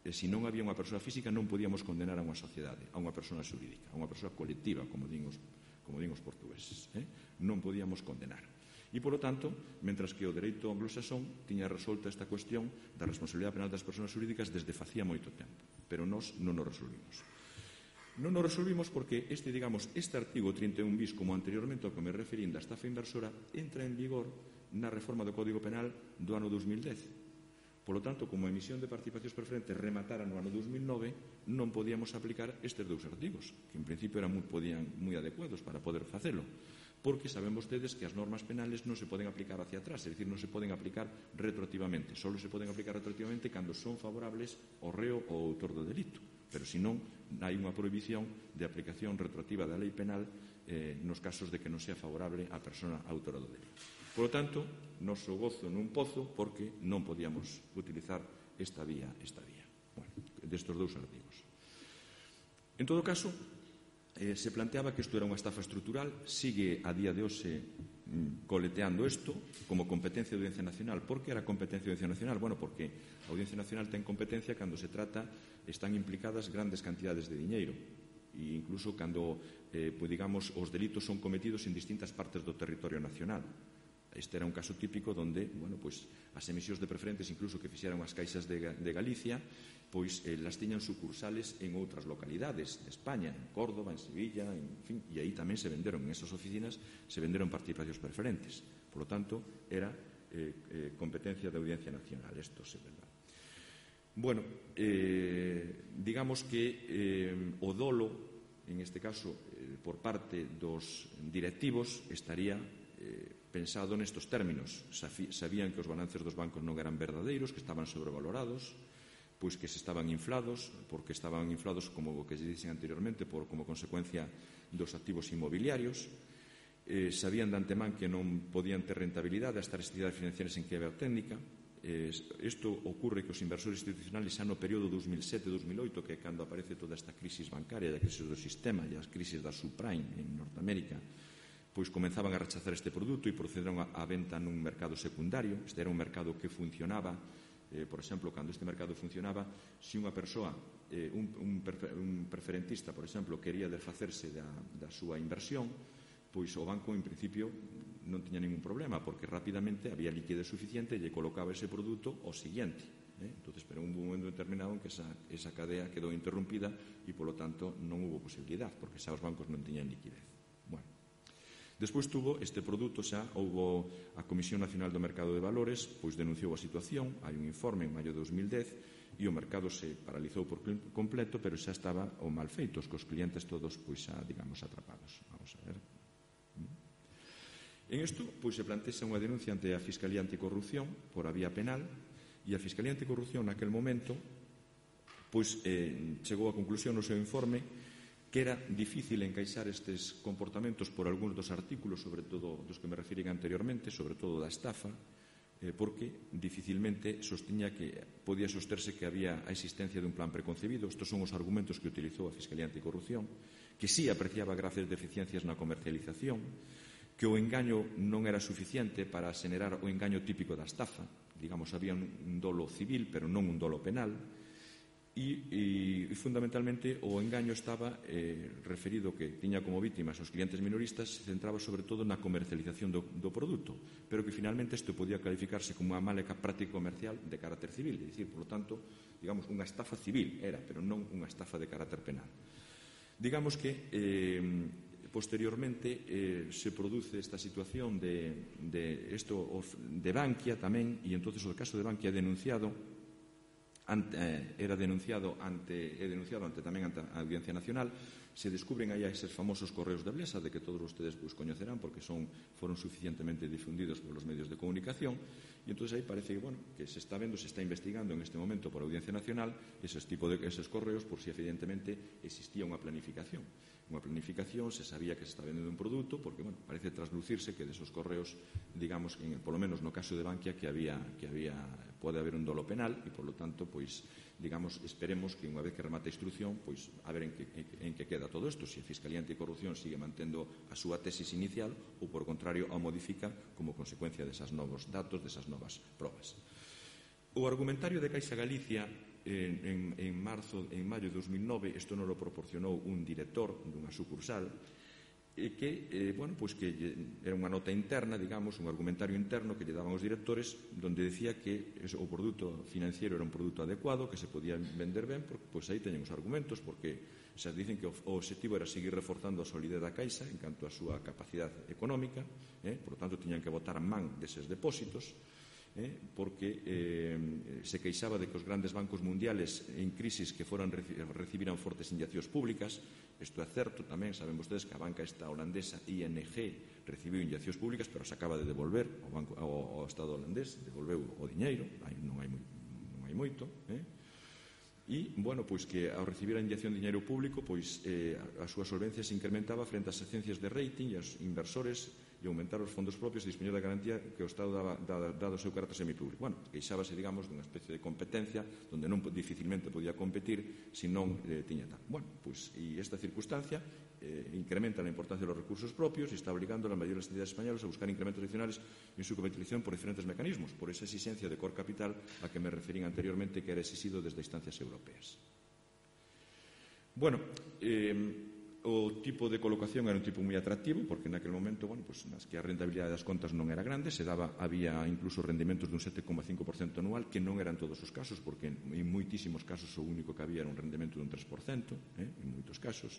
Speaker 2: E se non había unha persoa física non podíamos condenar a unha sociedade, a unha persona xurídica, a unha persoa colectiva, como din os portugueses. Non podíamos condenar. E, polo tanto, mentras que o dereito anglosaxón tiña resolta esta cuestión da responsabilidade penal das persoas xurídicas desde facía moito tempo, pero nós non o resolvimos. Non o resolvimos porque este artigo 31 bis, como anteriormente ao que me referín da estafa inversora, entra en vigor na reforma do Código Penal do ano 2010. Polo tanto, como a emisión de participacións preferentes rematara no ano 2009, non podíamos aplicar estes dous artigos, que en principio eran moi adecuados para poder facelo, porque saben vostedes que as normas penales non se poden aplicar hacia atrás, é dicir, non se poden aplicar retroactivamente, só se poden aplicar retroactivamente cando son favorables ao reo ou ao autor do delito, pero senón hai unha prohibición de aplicación retroactiva da lei penal nos casos de que non sea favorable a persona autora do delito. Por lo tanto, noso gozo nun pozo porque non podíamos utilizar esta vía. Bueno, destes dous artigos. En todo caso, se planteaba que isto era unha estafa estrutural, sigue a día de hoxe coleteando isto como competencia da Audiencia Nacional. Por que era competencia da Audiencia Nacional? Bueno, porque a Audiencia Nacional ten competencia cando se trata, están implicadas grandes cantidades de diñeiro e incluso cando, digamos, os delitos son cometidos en distintas partes do territorio nacional. Este era un caso típico onde, bueno, pois, as emisións de preferentes, incluso que fixeron as caixas de Galicia, pois las tiñan sucursales en outras localidades de España, en Córdoba, en Sevilla, en fin, e aí tamén se venderon, en esas oficinas, se venderon participacións preferentes. Por lo tanto, era competencia da Audiencia Nacional, isto é verdade. Bueno, digamos que o dolo, en este caso, por parte dos directivos, estaría pensado nestos términos. Sabían que os balances dos bancos non eran verdadeiros, que estaban sobrevalorados, pois que se estaban inflados, porque estaban inflados, como o que se dixen anteriormente, como consecuencia dos activos inmobiliarios. Sabían de antemán que non podían ter rentabilidade as tais entidades financieras en quiebra técnica. Isto ocurre que os inversores institucionales xa no período 2007-2008, que é cando aparece toda esta crisis bancaria, a crisis do sistema e as crisis da subprime en Norteamérica, pois comenzaban a rechazar este produto e procederon a venta nun mercado secundario. Este era un mercado que funcionaba, por exemplo, cando este mercado funcionaba, se unha persoa, un preferentista, por exemplo, quería desfacerse da súa inversión, pois o banco, en principio, non tiña ningún problema, porque rapidamente había liquidez suficiente e lle colocaba ese produto ao siguiente. Entón, pero un momento determinado en que esa cadea quedou interrumpida e, polo tanto, non hubo posibilidad, porque xa os bancos non tiñan liquidez. Bueno, Despois tuvo este produto xa, houbo a Comisión Nacional do Mercado de Valores, pois denunciou a situación, hai un informe en maio de 2010 e o mercado se paralizou por completo, pero xa estaba o mal feito, cos clientes todos, pois xa, digamos, atrapados. Vamos a ver. En isto, pois se plantexa unha denuncia ante a Fiscalía Anticorrupción por a vía penal e a Fiscalía Anticorrupción naquel momento pois chegou á conclusión no seu informe que era difícil encaixar estes comportamentos por algúns dos artículos, sobre todo dos que me refiren anteriormente, sobre todo da estafa, porque dificilmente sostiña que podía sosterse que había a existencia de un plan preconcebido. Estos son os argumentos que utilizou a Fiscalía Anticorrupción, que sí apreciaba graves deficiencias na comercialización, que o engaño non era suficiente para xenerar o engaño típico da estafa, digamos, había un dolo civil, pero non un dolo penal, e fundamentalmente o engaño estaba referido que tiña como vítimas os clientes minoristas, se centraba sobre todo na comercialización do produto, pero que finalmente isto podía calificarse como unha mala práctica comercial de carácter civil, é dicir, por lo tanto, digamos, unha estafa civil era, pero non unha estafa de carácter penal. Digamos que posteriormente se produce esta situación de Bankia tamén, e entonces o caso de Bankia era denunciado ante a Audiencia Nacional. Se descubren aí eses famosos correos de Blesa, de que todos ustedes coñecerán porque foron suficientemente difundidos polos medios de comunicación, e entón aí parece que se está investigando en este momento por a Audiencia Nacional eses correos por si evidentemente existía unha planificación. Unha planificación, se sabía que se está vendendo un produto, porque parece traslucirse que desos correos, digamos, polo menos no caso de Bankia, que pode haber un dolo penal e, polo tanto, pois, digamos, esperemos que unha vez que remate a instrucción, pois, a ver en que queda todo isto, se a Fiscalía Anticorrupción sigue mantendo a súa tesis inicial ou, por contrario, a modifica como consecuencia desas novos datos, desas novas probas. O argumentario de Caixa Galicia en maio de 2009, isto non lo proporcionou un director dunha sucursal, que era unha nota interna, digamos, un argumentario interno que lle daban os directores, donde decía que o produto financiero era un produto adecuado, que se podía vender ben, porque pois aí teñen os argumentos, porque xa dicen que o objetivo era seguir reforzando a solidez da Caixa en canto a súa capacidade económica, por lo tanto, tiñan que botar man deses depósitos, porque se queixaba de que os grandes bancos mundiales en crisis que recibiran fortes inyeccións públicas. Isto é certo tamén, saben vostedes que a banca esta holandesa ING recibiu inyeccións públicas, pero se acaba de devolver ao Estado holandés, devolveu o diñeiro, non hai moito, e, pois que ao recibir a inyección de diñeiro público, pois a súa solvencia se incrementaba frente ás agencias de rating e aos inversores e aumentar os fondos propios e dispoñer da garantía que o Estado dado o seu carácter semipúblico. Queixábase, digamos, dunha especie de competencia onde non dificilmente podía competir se non tiña tal. Pois, e esta circunstancia incrementa a importancia dos recursos propios e está obligando a las mayores entidades españolas a buscar incrementos adicionales en su comercialización por diferentes mecanismos, por esa exigencia de core capital a que me referín anteriormente, que era exigido desde instancias europeas. O tipo de colocación era un tipo moi atractivo, porque naquel momento, nas que a rentabilidade das contas non era grande, había incluso rendimentos dun 7,5% anual, que non eran todos os casos, porque en moitísimos casos o único que había era un rendimento dun 3%, en moitos casos.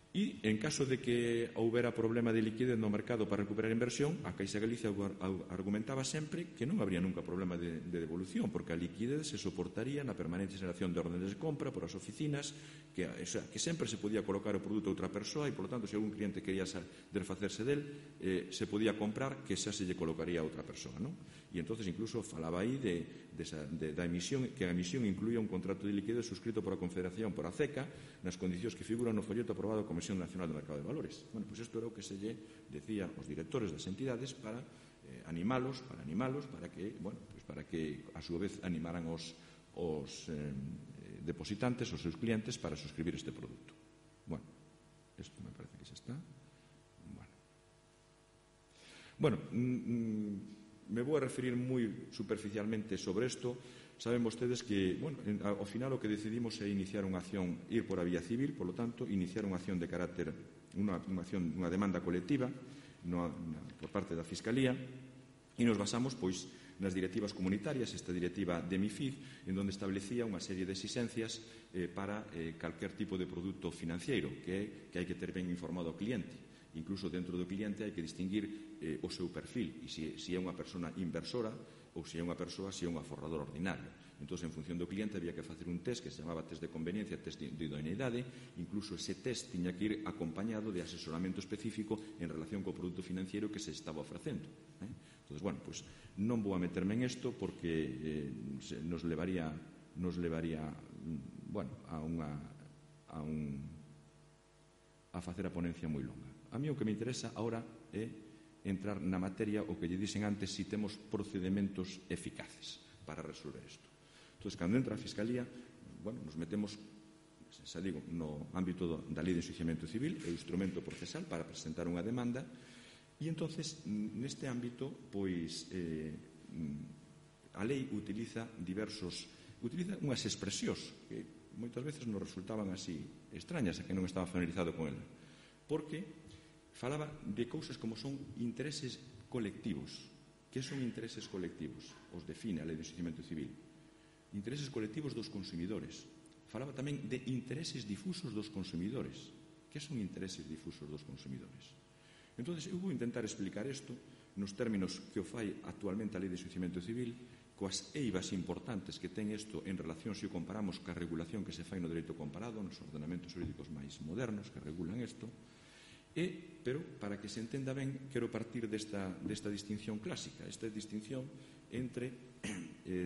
Speaker 2: E, en caso de que houbera problema de liquidez no mercado para recuperar a inversión, a Caixa Galicia argumentaba sempre que non habría nunca problema de devolución, porque a liquidez se soportaría na permanente xeración de órdenes de compra por as oficinas, que sempre se podía colocar o produto a outra persoa e, por lo tanto, se algún cliente quería desfacerse del, se podía comprar, que xa se lle colocaría a outra persoa, non? E entonces incluso falaba aí da emisión, que a emisión incluía un contrato de liquidez suscrito por a Confederación, por a CECA, nas condicións que figuran no folleto aprobado a Comisión Nacional do Mercado de Valores. Pois isto era o que se lle decía aos directores das entidades para animalos, para que a súa vez animaran os depositantes, os seus clientes, para suscribir este produto. Isto me parece que xa está. Me vou a referir moi superficialmente sobre isto. Saben vostedes que, ao final o que decidimos é iniciar unha acción, ir por a vía civil, por lo tanto, iniciar unha acción de carácter, unha demanda colectiva por parte da Fiscalía, e nos basamos, pois, nas directivas comunitarias, esta directiva de MiFID, en donde establecía unha serie de exigencias para calquer tipo de produto financiero, que hai que ter ben informado ao cliente. Incluso dentro do cliente hai que distinguir o seu perfil, e se é unha persona inversora ou se é unha persoa, se é un aforrador ordinario. Entón, en función do cliente, había que facer un test que se chamaba test de conveniencia, test de idoneidade. Incluso ese test tiña que ir acompañado de asesoramento específico en relación co produto financiero que se estaba ofrecendo. Entón, bueno, pues non vou a meterme en isto porque nos levaría bueno, a facer a ponencia moi longa. A mí o que me interesa agora é entrar na materia o que lle dixen antes, si temos procedimentos eficaces para resolver isto. Entón, cando entra a Fiscalía, bueno, nos metemos, xa digo, no ámbito da Lei de Enxuiciamento Civil, é o instrumento procesal para presentar unha demanda, e entonces neste ámbito, pois, a lei utiliza unhas expresións que moitas veces nos resultaban así extrañas a que non estaba familiarizado con ela, porque falaba de cousas como son intereses colectivos. Que son intereses colectivos? Os define a Lei de Enxuiciamento Civil. Intereses colectivos dos consumidores. Falaba tamén de intereses difusos dos consumidores. Que son intereses difusos dos consumidores? Entón, eu vou intentar explicar isto nos términos que o fai actualmente a Lei de Enxuiciamento Civil, coas eivas importantes que ten isto en relación se o comparamos ca regulación que se fai no dereito comparado, nos ordenamentos jurídicos máis modernos que regulan isto, pero para que se entenda ben, quero partir desta distinción clásica, esta distinción entre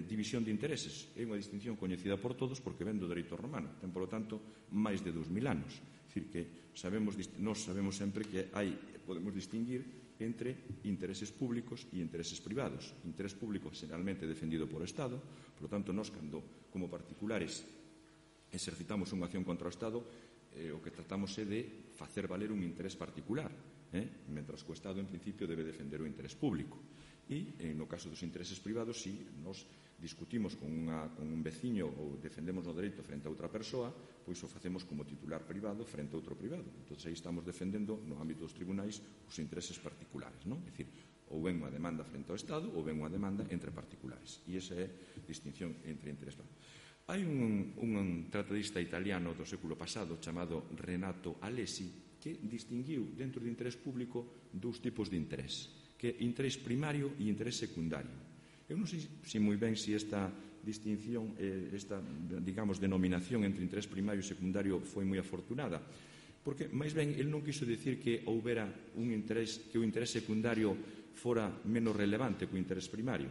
Speaker 2: división de intereses. É unha distinción coñecida por todos porque ven do dereito romano, ten, polo tanto, máis de 2000 anos. É dicir, que nós sabemos sempre que podemos distinguir entre intereses públicos e intereses privados. Interés público generalmente defendido por o Estado, por lo tanto, nós, cando como particulares exercitamos unha acción contra o Estado, o que tratamos é de facer valer un interés particular, mentras que o Estado, en principio, debe defender o interés público. E, no caso dos intereses privados, si nos discutimos con un veciño ou defendemos o dereito frente a outra persoa, pois o facemos como titular privado frente a outro privado. Entón, aí estamos defendendo, no ámbito dos tribunais, os intereses particulares, non? É dicir, ou ven unha demanda frente ao Estado ou ven unha demanda entre particulares. E esa é a distinción entre interés privados. Hai un tratadista italiano do século pasado chamado Renato Alesi que distinguiu dentro do interés público dous tipos de interés, que é interés primario e interés secundario. Eu non sei moi ben se esta distinción, esta, digamos, denominación entre interés primario e secundario foi moi afortunada, porque, máis ben, el non quiso dicir que houbera un interés, que o interés secundario fora menos relevante que o interés primario,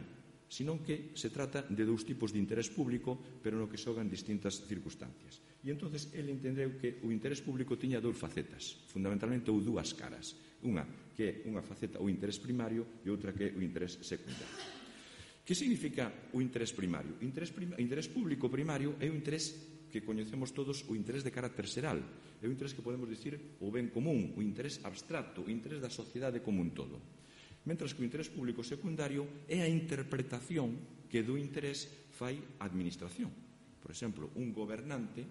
Speaker 2: senón que se trata de dous tipos de interés público, pero no que xogan distintas circunstancias. E entonces el entendeu que o interés público tiña dous facetas, fundamentalmente ou dúas caras. Unha que é unha faceta o interés primario e outra que é o interés secundario. Que significa o interés primario? O interés público primario é o interés que coñecemos todos, o interés de carácter xeral. É o interés que podemos dicir o ben común, o interés abstracto, o interés da sociedade como un todo. Mentras que o interés público secundario é a interpretación que do interés fai a administración. Por exemplo, un gobernante,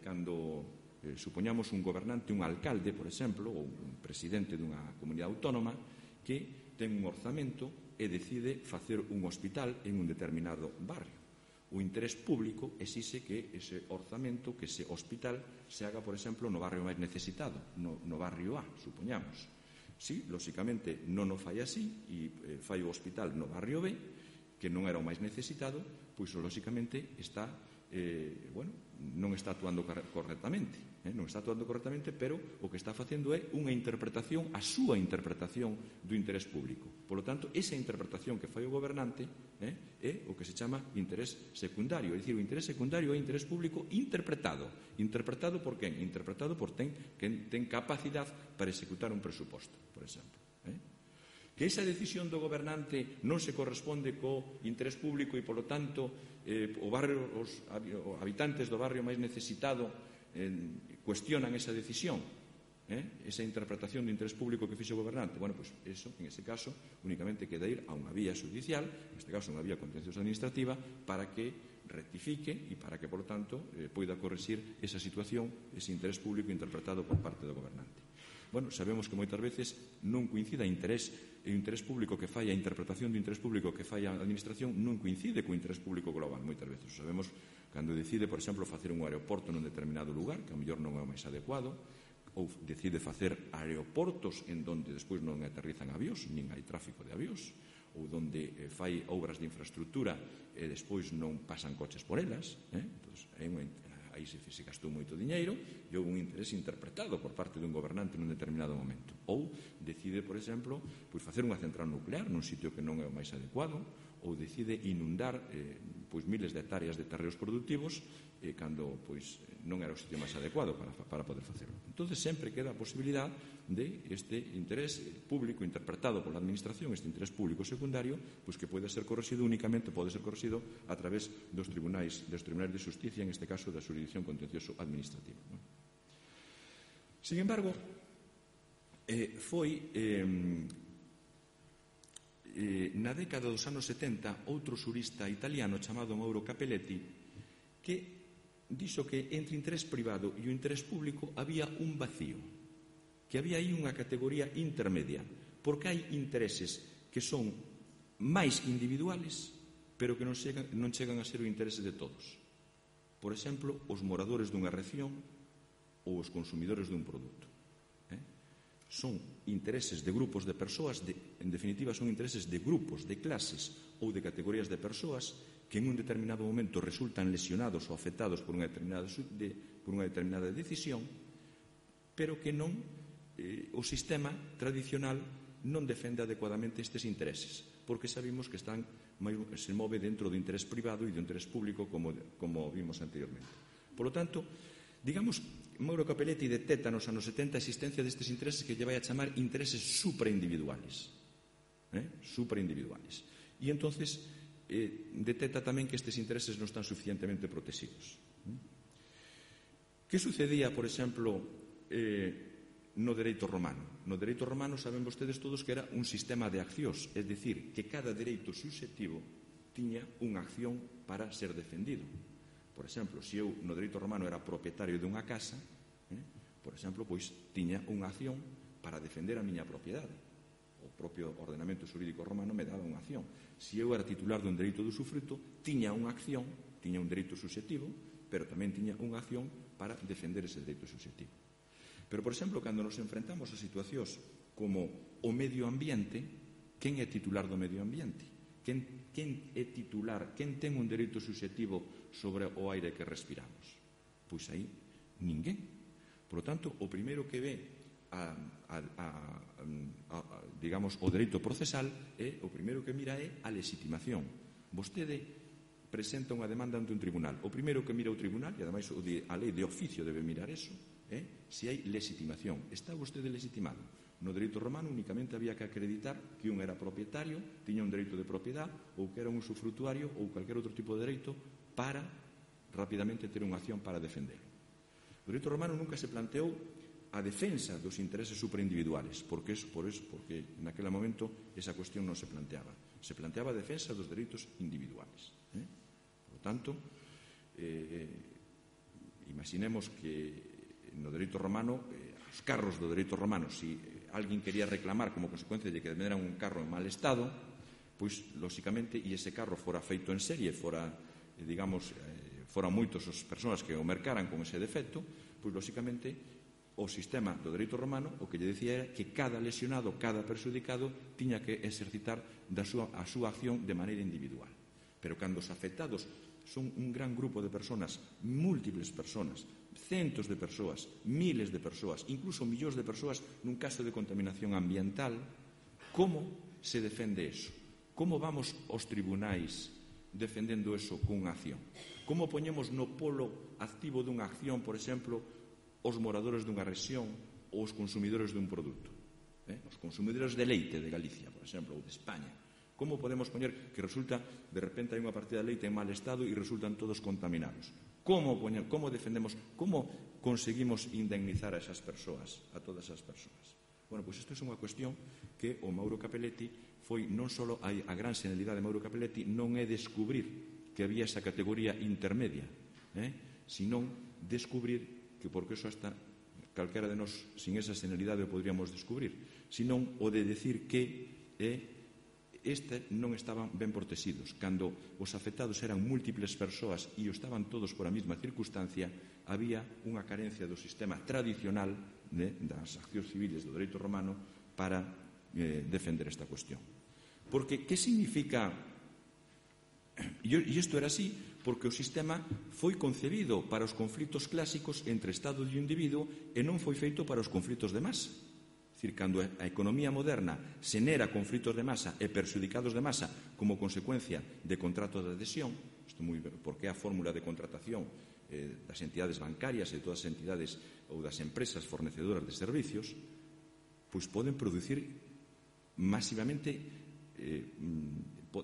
Speaker 2: cando supoñamos un gobernante, un alcalde, por exemplo, ou un presidente dunha comunidade autónoma, que ten un orzamento e decide facer un hospital en un determinado barrio. O interés público exixe que ese orzamento, que ese hospital, se haga, por exemplo, no barrio máis necesitado, no barrio A, supoñamos. Si, lóxicamente, non o fai así e fai o hospital no barrio B, que non era o máis necesitado, pois, lóxicamente, está, non está actuando correctamente. Non está actuando correctamente, pero o que está facendo é unha interpretación, a súa interpretación do interés público. Por lo tanto, esa interpretación que fai o gobernante é o que se chama interés secundario. É dicir, o interés secundario é interés público interpretado. Interpretado por quen? Interpretado por quen ten capacidade para executar un presuposto, por exemplo. Que esa decisión do gobernante non se corresponde co interés público e, polo tanto, os habitantes do barrio máis necesitado cuestionan esa decisión, esa interpretación do interés público que fixo o gobernante. Bueno, pois eso, en ese caso, únicamente queda ir a unha vía judicial, neste caso unha vía contenciosa administrativa, para que rectifique e para que, por tanto, poida corrixir esa situación, ese interés público interpretado por parte do gobernante. Bueno, sabemos que moitas veces non coincide o interés público que fai a interpretación do interés público que fai a administración non coincide co interés público global, moitas veces. Sabemos cando decide, por exemplo, facer un aeroporto nun determinado lugar, que a mellor non é o máis adecuado, ou decide facer aeroportos en donde despois non aterrizan avións, nin hai tráfico de avións, ou donde fai obras de infraestructura e despois non pasan coches por elas, entón, aí se gastou moito diñeiro e houve un interés interpretado por parte dun gobernante nun determinado momento. Ou decide, por exemplo, facer unha central nuclear nun sitio que non é o máis adecuado, ou decide inundar miles de hectáreas de terreos productivos cando non era o sitio máis adecuado para poder facerlo. Entón, sempre queda a posibilidad de este interés público interpretado pola administración, este interés público secundario, que pode ser correxido únicamente a través dos tribunais de xusticia, en este caso da xurisdicción contencioso administrativa. Sin embargo, foi na década dos anos 70 outro xurista italiano chamado Mauro Capelletti que dixo que entre o interés privado e o interés público había un vacío, que había aí unha categoría intermedia, porque hai intereses que son máis individuales, pero que non chegan a ser o interese de todos. Por exemplo, os moradores dunha rexión ou os consumidores dun produto. Son intereses de grupos de persoas, en definitiva son intereses de grupos, de clases ou de categorías de persoas que en un determinado momento resultan lesionados ou afectados por unha determinada decisión, pero que non o sistema tradicional non defende adecuadamente estes intereses, porque sabemos que se move dentro do interés privado e do interés público, como vimos anteriormente. Por lo tanto, digamos, Mauro Capelletti detecta nos anos 70 a existencia destes intereses que lle vai a chamar intereses supraindividuales. Supraindividuales. E entonces detecta tamén que estes intereses non están suficientemente protegidos. Que sucedía, por exemplo, no dereito romano? No dereito romano saben vostedes todos que era un sistema de accións, é dicir, que cada dereito susceptivo tiña unha acción para ser defendido. Por exemplo, se eu no dereito romano era propietario dunha casa, por exemplo, tiña unha acción para defender a miña propiedade. O propio ordenamento xurídico romano me daba unha acción. Se eu era titular dun dereito de usufruto, tiña unha acción, tiña un dereito susceptivo, pero tamén tiña unha acción para defender ese dereito susceptivo. Pero, por exemplo, cando nos enfrentamos a situacións como o medio ambiente, quen é titular do medio ambiente? Quen é titular, quen ten un dereito susceptivo sobre o aire que respiramos? Pois aí, ninguén. Por lo tanto, o primeiro que ve digamos, o dereito procesal o primeiro que mira é a legitimación. Vostede presenta unha demanda ante un tribunal. O primeiro que mira o tribunal, e ademais a lei de oficio debe mirar eso, se hai legitimación. Está vostede legitimado? No dereito romano únicamente había que acreditar que un era propietario, tiña un dereito de propiedade, ou que era un usufrutuario ou calquer outro tipo de dereito para rapidamente ter unha acción para defender. O dereito romano nunca se planteou a defensa dos intereses supraindividuales, porque naquele momento esa cuestión non se planteaba. Se planteaba a defensa dos dereitos individuales. Por lo tanto, imaginemos que no dereito romano, os carros do dereito romano, se alguén quería reclamar como consecuencia de que era un carro en mal estado, pois, lóxicamente, e ese carro fora feito en serie, foran moitos as persoas que o mercaran con ese defecto, pois, lóxicamente, o sistema do dereito romano o que lle decía era que cada lesionado, cada perxudicado, tiña que exercitar a súa acción de maneira individual. Pero cando os afectados son un gran grupo de persoas, múltiples persoas, centos de persoas, miles de persoas, incluso millóns de persoas nun caso de contaminación ambiental, como se defende eso? Como vamos aos tribunais defendendo eso cunha acción? Como poñemos no polo activo dunha acción, por exemplo, os moradores dunha rexión ou os consumidores dun produto? Os consumidores de leite de Galicia, por exemplo, ou de España. Como podemos poñer que resulta, de repente hai unha partida de leite en mal estado e resultan todos contaminados? Como defendemos, como conseguimos indemnizar a esas persoas, a todas esas persoas? Bueno, pois isto é unha cuestión que o Mauro Capelletti foi non só a gran senilidade de Mauro Capelletti non é descubrir que había esa categoría intermedia, senón descubrir que porque eso hasta calquera de nós sin esa senilidade o podríamos descubrir, senón o de decir que non estaban ben protegidos. Cando os afectados eran múltiples persoas e estaban todos por a mesma circunstancia, había unha carencia do sistema tradicional das accións civiles do dereito romano para defender esta cuestión. Porque, que significa? E isto era así porque o sistema foi concebido para os conflitos clásicos entre Estado e individuo e non foi feito para os conflitos de masa. É dicir, cando a economía moderna xenera conflitos de masa e perxudicados de masa como consecuencia de contrato de adhesión, porque é a fórmula de contratación das entidades bancarias e de todas as entidades ou das empresas fornecedoras de servicios, pois poden producir masivamente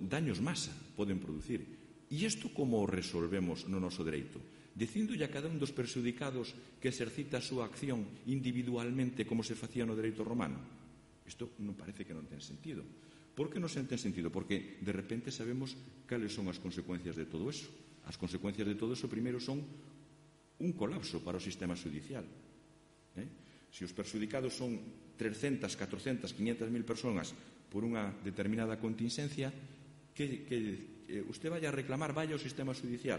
Speaker 2: daños masa, poden producir. E isto como o resolvemos no noso dereito? Dicíndolle a cada un dos perxudicados que exercita a súa acción individualmente como se facía no dereito romano? Isto non parece que non ten sentido. Por que non ten sentido? Porque de repente sabemos cales son as consecuencias de todo eso. As consecuencias de todo eso primeiro son un colapso para o sistema judicial. Se os perxudicados son 300, 400, 500.000 persoas por unha determinada contingencia, que usted vaya a reclamar, vaya ao sistema judicial,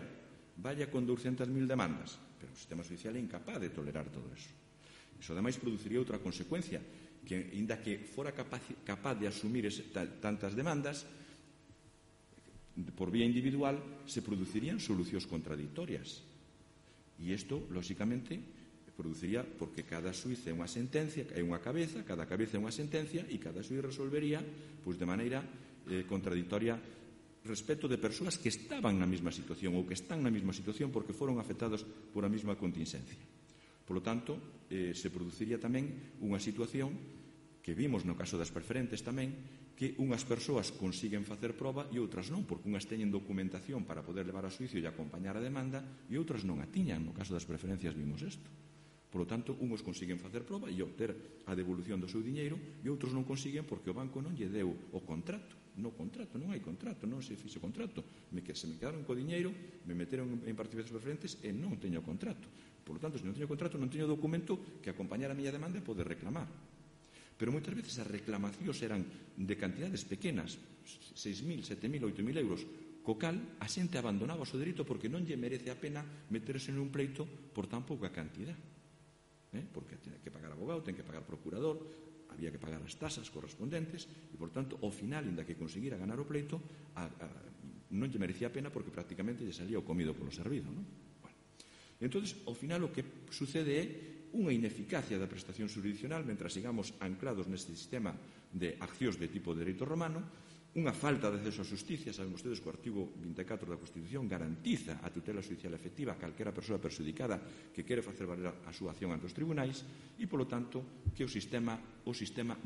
Speaker 2: vaya con 200.000 demandas, pero o sistema judicial é incapaz de tolerar todo eso. Iso ademais produciría outra consecuencia, que inda que fora capaz de asumir tantas demandas, por vía individual se producirían solucións contradictorias. E isto, lóxicamente, produciría porque cada xuiz é unha sentencia, é unha cabeza, cada cabeza é unha sentencia e cada xuiz resolvería pois de maneira contradictoria respecto de persoas que estaban na mesma situación ou que están na mesma situación porque foron afectados por a mesma contingencia. Por lo tanto, se produciría tamén unha situación que vimos no caso das preferentes tamén, que unhas persoas consiguen facer proba e outras non, porque unhas teñen documentación para poder levar a xuicio e acompañar a demanda e outras non a tiñan. No caso das preferencias vimos isto. Por lo tanto, unhos consiguen facer proba e obter a devolución do seu diñeiro e outros non consiguen porque o banco non lle deu o contrato. Non hai contrato, non se fixe contrato. Se me quedaron co diñeiro, me meteron en participacións preferentes e non teño contrato. Por lo tanto, se non teño contrato, non teño documento que acompañar a miña demanda e poder reclamar. Pero moitas veces as reclamacións eran de cantidades pequenas, 6.000, 7.000, 8.000 euros, co cal a xente abandonaba o seu dereito porque non lle merece a pena meterse nun pleito por tan pouca cantidad. Porque ten que pagar abogado, ten que pagar procurador, había que pagar as tasas correspondentes e, por tanto, ao final, inda que conseguira ganar o pleito, non lle merecía a pena porque prácticamente lle salía o comido polo servido. Entón, ao final, o que sucede é unha ineficacia da prestación jurisdiccional mentras sigamos anclados neste sistema de accións de tipo de dereito romano, unha falta de acceso á justicia. Saben vostedes que o artigo 24 da Constitución garantiza a tutela judicial efectiva a calquera persoa perxudicada que quere facer valer a súa acción ante os tribunais e, polo tanto, que o sistema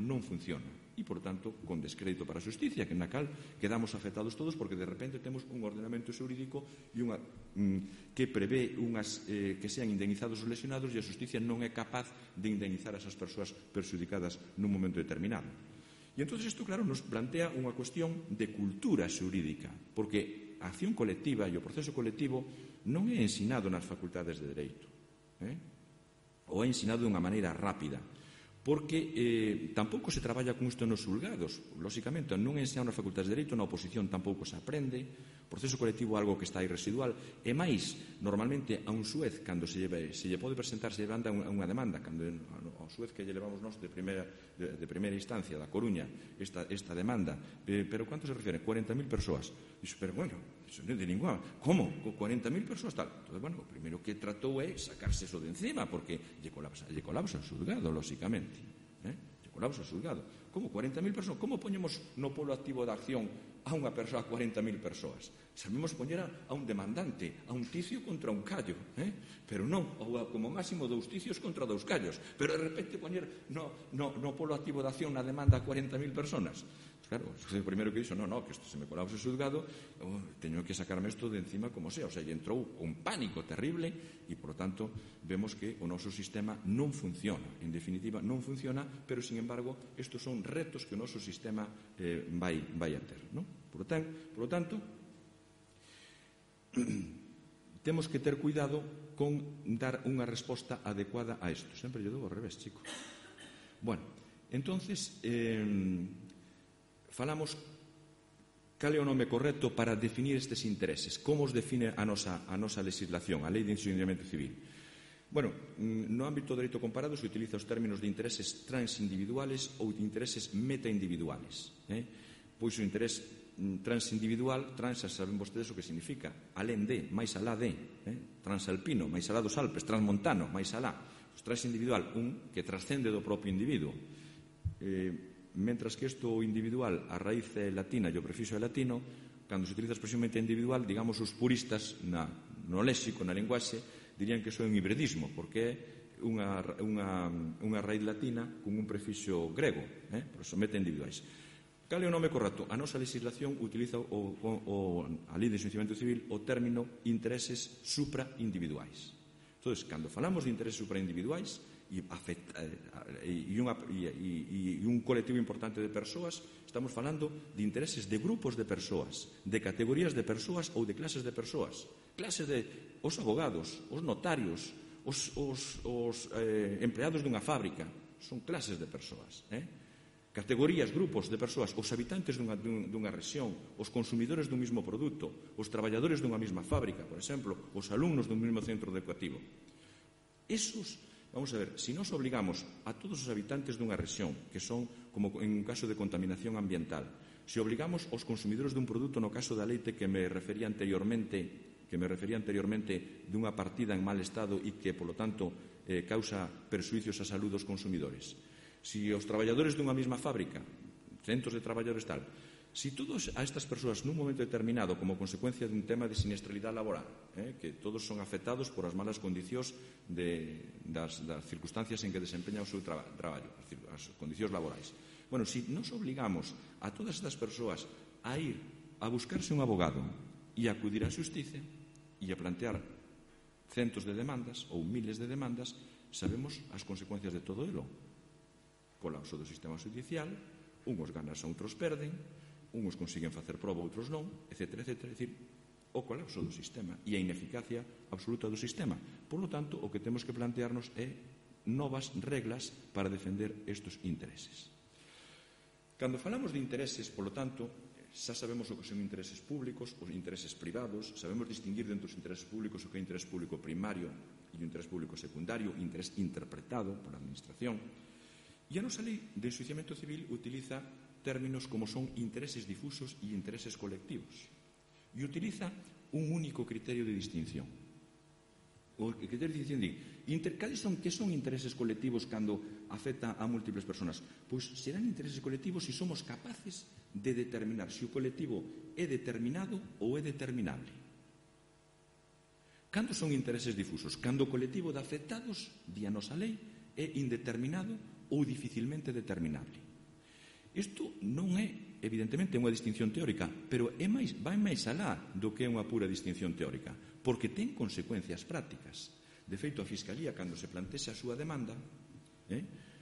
Speaker 2: non funciona e, por tanto, con descrédito para a justicia, que na cal quedamos afectados todos porque de repente temos un ordenamento xurídico e que prevé que sean indemnizados os lesionados e a justicia non é capaz de indemnizar a esas persoas perxudicadas nun momento determinado. E entón isto, claro, nos plantea unha cuestión de cultura xurídica, porque a acción colectiva e o proceso colectivo non é ensinado nas facultades de Dereito, ou é ensinado de unha maneira rápida, porque tampouco se traballa con isto nos xulgados, lóxicamente, non é ensinado nas facultades de Dereito, na oposición tampouco se aprende, o proceso colectivo é algo que está aí residual, e máis, normalmente, a un xuez, cando se lle pode presentar, se lle manda unha demanda, cando ao xuez que lle levamos nós de primeira instancia, da Coruña, esta demanda, pero ¿cuánto se refiere? 40.000 persoas. Dixo, pero bueno, iso non é de ninguna. Como? Con 40.000 persoas tal. Entón, bueno, o primeiro que tratou é sacarse eso de encima, porque lle colapsa o xulgado, lóxicamente. Lle colapsa o xulgado. Como 40.000 persoas? Como poñemos no polo activo de acción a unha persoa, a 40.000 persoas? Sabemos poñer a un demandante, a un ticio contra un callo, pero non, como máximo 2 ticios contra 2 callos, pero de repente poñer no polo activo de acción na demanda a 40.000 personas. Claro, o primeiro que dixo, que isto se me colapsa o xulgado, teño que sacarme isto de encima como sea, lle entrou un pánico terrible e, por lo tanto, vemos que o noso sistema non funciona, en definitiva non funciona, pero, sin embargo, estos son retos que o noso sistema vai a ter, non? Por lo tanto, temos que ter cuidado con dar unha resposta adecuada a isto. Sempre lle dou ao revés, chico. Bueno, entonces falamos cal é o nome correcto para definir estes intereses, como os define a nosa legislación, a Lei de Enxuiciamento Civil. Bueno, no ámbito do dereito comparado se utiliza os términos de intereses transindividuales ou de intereses metaindividuales. Pois o interés transindividual, trans, saben vostedes o que significa, alén de, máis alá de, transalpino, máis alá dos Alpes, transmontano, máis alá. O transindividual, un que trascende do propio individuo. Mentras que isto individual, a raíz é latina e o prefixo é latino, cando se utiliza a expresión metaindividual, digamos, os puristas no léxico, na linguaxe, dirían que iso é un hibridismo, porque é unha raíz latina con un prefixo grego, por iso metaindividuais. Cal é o nome correcto? A nosa legislación utiliza a Lei de Enxuiciamento Civil o término intereses supraindividuais. Entón, cando falamos de intereses supraindividuais e un colectivo importante de persoas, estamos falando de intereses de grupos de persoas, de categorías de persoas ou de clases de persoas. Clases de os abogados, os notarios, os empleados dunha fábrica, son clases de persoas. Categorías, grupos de persoas, os habitantes dunha rexión, os consumidores dun mismo produto, os traballadores dunha mesma fábrica, por exemplo, os alumnos dun mesmo centro educativo. Esos, vamos a ver, se nos obligamos a todos os habitantes dunha rexión, que son, como en un caso de contaminación ambiental, se obligamos aos consumidores dun produto, no caso da leite que me refería anteriormente dunha partida en mal estado e que, polo tanto, causa perxuicios á saúde dos consumidores. Si os traballadores dunha mesma fábrica, centos de traballadores tal, si todos a estas persoas nun momento determinado, como consecuencia dun tema de siniestralidade laboral, que todos son afectados por as malas condicións das circunstancias en que desempeñan o seu traballo, as condicións laborais. Bueno, si nos obligamos a todas estas persoas a ir a buscarse un abogado e acudir á xustiza e a plantear centos de demandas ou miles de demandas, sabemos as consecuencias de todo elo. Colapso do sistema judicial, unhos ganas a outros perden, unhos consiguen facer proba, outros non, etc. É dicir, o colapso do sistema e a ineficacia absoluta do sistema. Por lo tanto, o que temos que plantearnos é novas reglas para defender estes intereses. Cando falamos de intereses, polo tanto, xa sabemos o que son intereses públicos, os intereses privados, sabemos distinguir dentro dos intereses públicos o que é interés público primario e o interés público secundario, interés interpretado por a administración. E a nosa lei de enxuiciamento civil utiliza términos como son intereses difusos e intereses colectivos. E utiliza un único criterio de distinción. O criterio de distinción que son intereses colectivos cando afecta a múltiples personas? Pois serán intereses colectivos se somos capaces de determinar se o colectivo é determinado ou é determinable. Cando son intereses difusos? Cando o colectivo de afectados, di a nosa lei, é indeterminado ou dificilmente determinable. Isto non é, evidentemente, unha distinción teórica, pero vai máis alá do que é unha pura distinción teórica, porque ten consecuencias prácticas. De feito, a Fiscalía, cando se plantexa a súa demanda,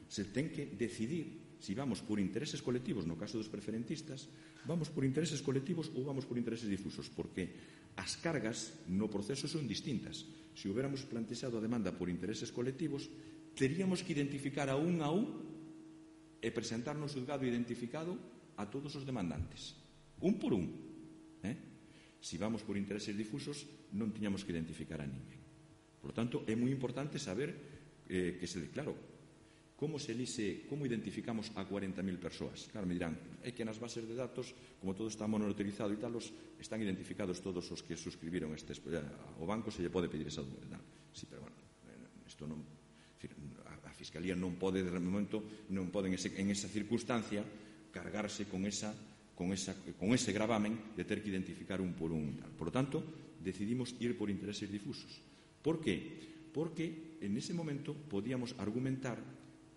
Speaker 2: se ten que decidir se vamos por intereses colectivos, no caso dos preferentistas, vamos por intereses colectivos ou vamos por intereses difusos, porque as cargas no proceso son distintas. Se hubiéramos plantexado a demanda por intereses colectivos, teríamos que identificar a un e presentar no xulgado identificado a todos os demandantes, un por un. Se vamos por intereses difusos, non tiñamos que identificar a ninguén. Por lo tanto, é moi importante saber como identificamos a 40.000 persoas. Claro, me dirán, é que nas bases de datos, como todo está monitorizado e tal, están identificados todos os que suscribiron o banco, se lle pode pedir esa dúbida. Sí, pero bueno, isto non... A Fiscalía non pode, de momento, non pode en esa circunstancia cargarse con ese gravamen de ter que identificar un por un. Por lo tanto, decidimos ir por intereses difusos. Por qué? Porque en ese momento podíamos argumentar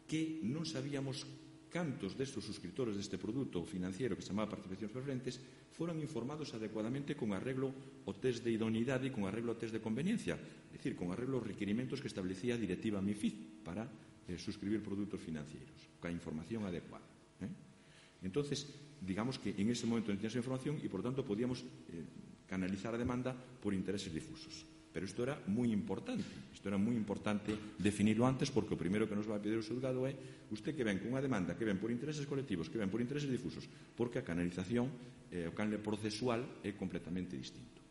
Speaker 2: que non sabíamos cantos destes suscriptores deste produto financiero que se chamaba participacións preferentes foran informados adecuadamente con arreglo ao test de idoneidade e con arreglo ao test de conveniencia, é dicir, con arreglo aos requerimentos que establecía a directiva MiFID para suscribir produtos financieros, con a información adecuada. Entonces, digamos que en ese momento non tiña esa información e, por tanto, podíamos canalizar a demanda por intereses difusos. Pero isto era moi importante. Isto era moi importante definirlo antes, porque o primeiro que nos vai pedir o xulgado é usted que ven con unha demanda que ven por intereses colectivos, que ven por intereses difusos, porque a canalización, o canle procesual é completamente distinto.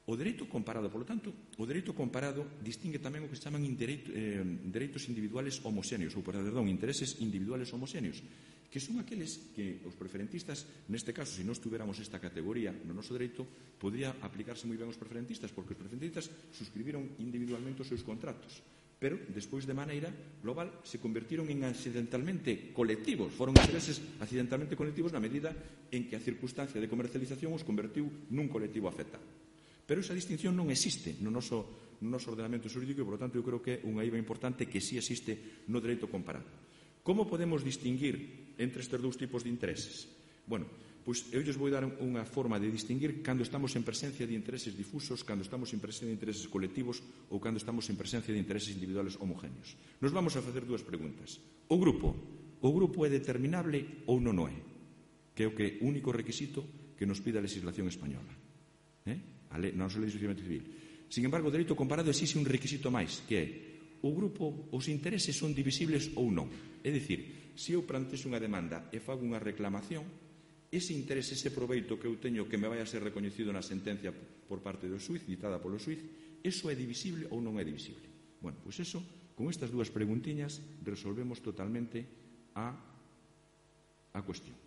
Speaker 2: O dereito comparado, polo tanto, o dereito comparado distingue tamén o que se chaman dereitos individuales homoxéneos, ou, perdón, intereses individuales homoxéneos, que son aqueles que os preferentistas, neste caso, se non estuveramos esta categoría no noso dereito, podría aplicarse moi ben aos preferentistas, porque os preferentistas suscribiron individualmente os seus contratos, pero, despois de maneira global, se convertiron en accidentalmente colectivos, foron intereses accidentalmente colectivos na medida en que a circunstancia de comercialización os convertiu nun colectivo afectado. Pero esa distinción non existe no noso ordenamento xurídico e, por lo tanto, eu creo que é unha eiva importante que sí existe no dereito comparado. Como podemos distinguir entre estes dous tipos de intereses? Bueno, pois eu lles vou dar unha forma de distinguir cando estamos en presencia de intereses difusos, cando estamos en presencia de intereses colectivos ou cando estamos en presencia de intereses individuales homogéneos. Nos vamos a facer dúas preguntas. O grupo é determinable ou non o é? Que é o único requisito que nos pide a legislación española. Na nosa lei de enxuiciamento civil. Sin embargo, o dereito comparado existe un requisito máis, que é o grupo, os intereses son divisibles ou non. É dicir, se eu plantexo unha demanda e fago unha reclamación, ese interese, ese proveito que eu teño que me vai a ser recoñecido na sentencia por parte do xuiz, ditada polo xuiz, eso é divisible ou non é divisible? Bueno, pois eso, con estas dúas preguntiñas, resolvemos totalmente a cuestión.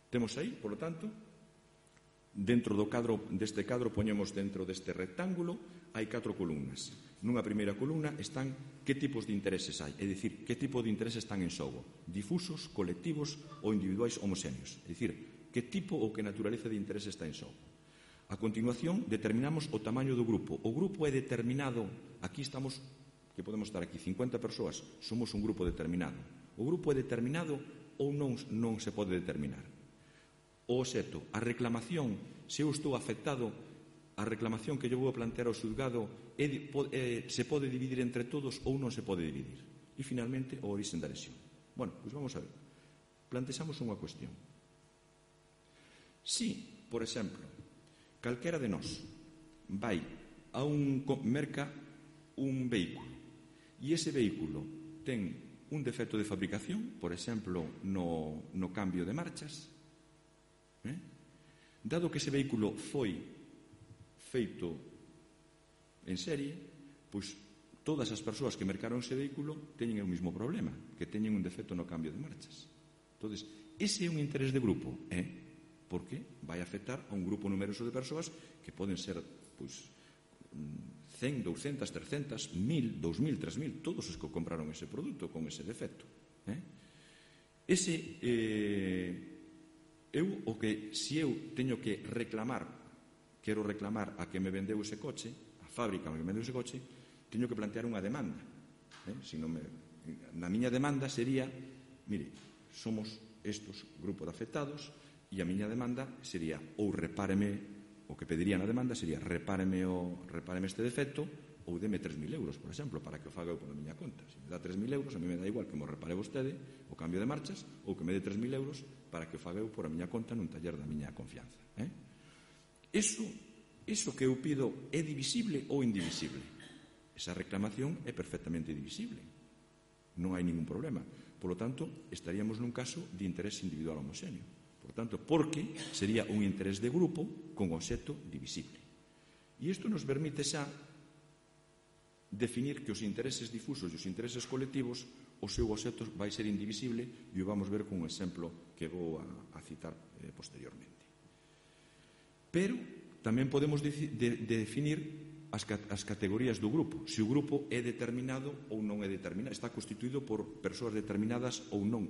Speaker 2: Temos aí, polo tanto, dentro deste cadro poñemos dentro deste rectángulo hai 4 columnas. Nunha primeira columna están que tipos de intereses hai, é dicir, que tipo de intereses están en xogo, difusos, colectivos ou individuais homoxéneos, é dicir, que tipo ou que naturaleza de interese está en xogo. A continuación determinamos o tamaño do grupo. O grupo é determinado, aquí estamos, que podemos estar aquí 50 persoas, somos un grupo determinado. O grupo é determinado ou non se pode determinar. O obxecto, a reclamación, se eu estou afectado, a reclamación que eu vou plantear ao xulgado se pode dividir entre todos ou non se pode dividir. E, finalmente, o origen da lesión. Bueno, pois vamos a ver. Plantexamos unha cuestión. Si, por exemplo, calquera de nós vai a merca un vehículo e ese vehículo ten un defecto de fabricación, por exemplo, no cambio de marchas, dado que ese vehículo foi feito en serie, pois todas as persoas que mercaron ese vehículo teñen o mesmo problema, que teñen un defecto no cambio de marchas. Entón, ese é un interés de grupo, porque vai afectar a un grupo numeroso de persoas que poden ser, pois, 100, 200, 300, 1000, 2000, 3000, todos os que compraron ese produto con ese defecto. Se eu teño que reclamar, quero reclamar a que me vendeu ese coche, a fábrica que me vendeu ese coche, teño que plantear unha demanda. Na miña demanda sería, mire, somos estos grupos de afectados e a miña demanda sería ou repáreme, o que pediría na demanda sería repáreme este defecto ou deme 3.000 euros, por exemplo, para que o faga eu pola miña conta. Se me dá 3.000 euros, a mí me dá igual que mo repare vostede o cambio de marchas ou que me dé 3.000 euros para que o faga eu por a miña conta nun taller da miña confianza. Eso que eu pido é divisible ou indivisible? Esa reclamación é perfectamente divisible. Non hai ningún problema. Por lo tanto, estaríamos nun caso de interés individual homoxéneo. Por tanto, porque sería un interés de grupo con obxecto divisible. E isto nos permite xa definir que os intereses difusos e os intereses colectivos, o seu obxecto vai ser indivisible e o vamos ver con un exemplo que vou a citar posteriormente. Pero tamén podemos definir as categorías do grupo, se o grupo é determinado ou non é determinado, está constituído por persoas determinadas ou non.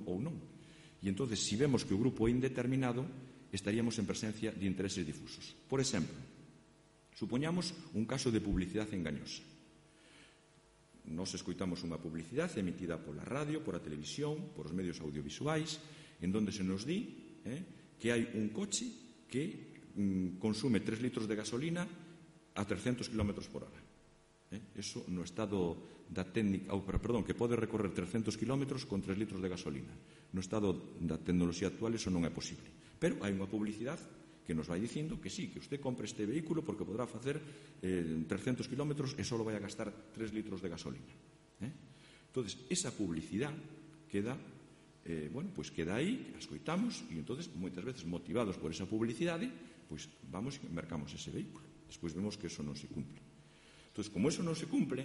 Speaker 2: E entón, se vemos que o grupo é indeterminado, estaríamos en presencia de intereses difusos. Por exemplo, supoñamos un caso de publicidade engañosa. Nos escoitamos unha publicidade emitida pola radio, pola televisión, por os medios audiovisuais, en donde se nos di que hai un coche que consume 3 litros de gasolina a 300 km por hora. Eso no estado da técnica, que pode recorrer 300 km con 3 litros de gasolina. No estado da tecnoloxía actual eso non é posible. Pero hai unha publicidade que nos vai dicindo que sí, que usted compre este vehículo porque podrá facer 300 km e só vai a gastar 3 litros de gasolina. Entón, esa publicidade queda aí, a escoitamos, e entón, moitas veces motivados por esa publicidade, pois vamos e mercamos ese vehículo. Despois vemos que eso non se cumple. Entón, como eso non se cumple,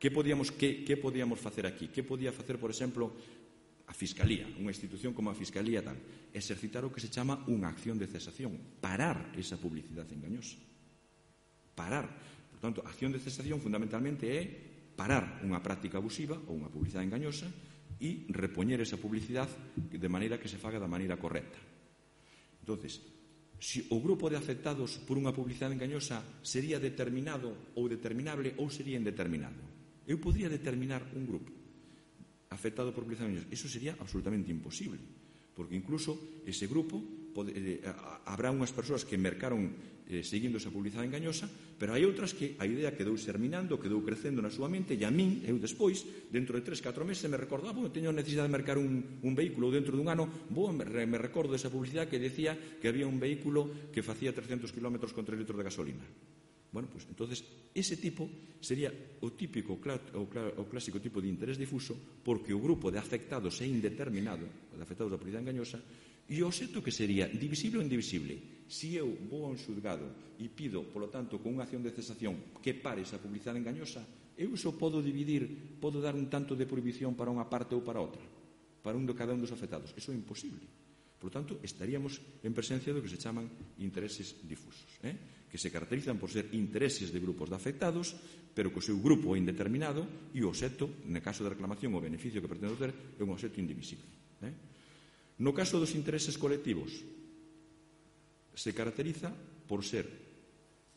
Speaker 2: que podíamos facer aquí? Que podía facer, por exemplo, a Fiscalía, unha institución como a Fiscalía tal? Exercitar o que se chama unha acción de cesación, parar esa publicidade engañosa. Parar. Por tanto, a acción de cesación fundamentalmente é parar unha práctica abusiva ou unha publicidade engañosa e repoñer esa publicidade de maneira que se faga da maneira correcta. Entonces, se o grupo de afectados por unha publicidade engañosa sería determinado ou determinable ou sería indeterminado. Eu podría determinar un grupo afectado por publicidade engañosa. Eso sería absolutamente imposible, porque incluso ese grupo habrá unhas persoas que mercaron seguindo esa publicidade engañosa, pero hai outras que a idea quedou xerminando, quedou crecendo na súa mente, e a min, eu despois, dentro de 3-4 meses, me recordo, teño necesidade de mercar un vehículo, ou dentro dun ano, me recordo desa publicidade que decía que había un vehículo que facía 300 km con 3 litros de gasolina. Bueno, pues entonces ese tipo sería o típico o clásico tipo de interés difuso, porque o grupo de afectados é indeterminado, de afectados da publicidade engañosa, e o xeito que sería divisible ou indivisible. Se eu vou a un xulgado e pido, polo tanto, con unha acción de cesación que pare esa publicidade engañosa, eu iso podo dividir, podo dar un tanto de prohibición para unha parte ou para outra, para cada un dos afectados. Iso é imposible. Por lo tanto, estaríamos en presencia do que se chaman intereses difusos, que se caracterizan por ser intereses de grupos de afectados, pero que o seu grupo é indeterminado e o obxecto, no caso de reclamación, o beneficio que pretende ter, é un obxecto indivisible. No caso dos intereses colectivos, se caracteriza por ser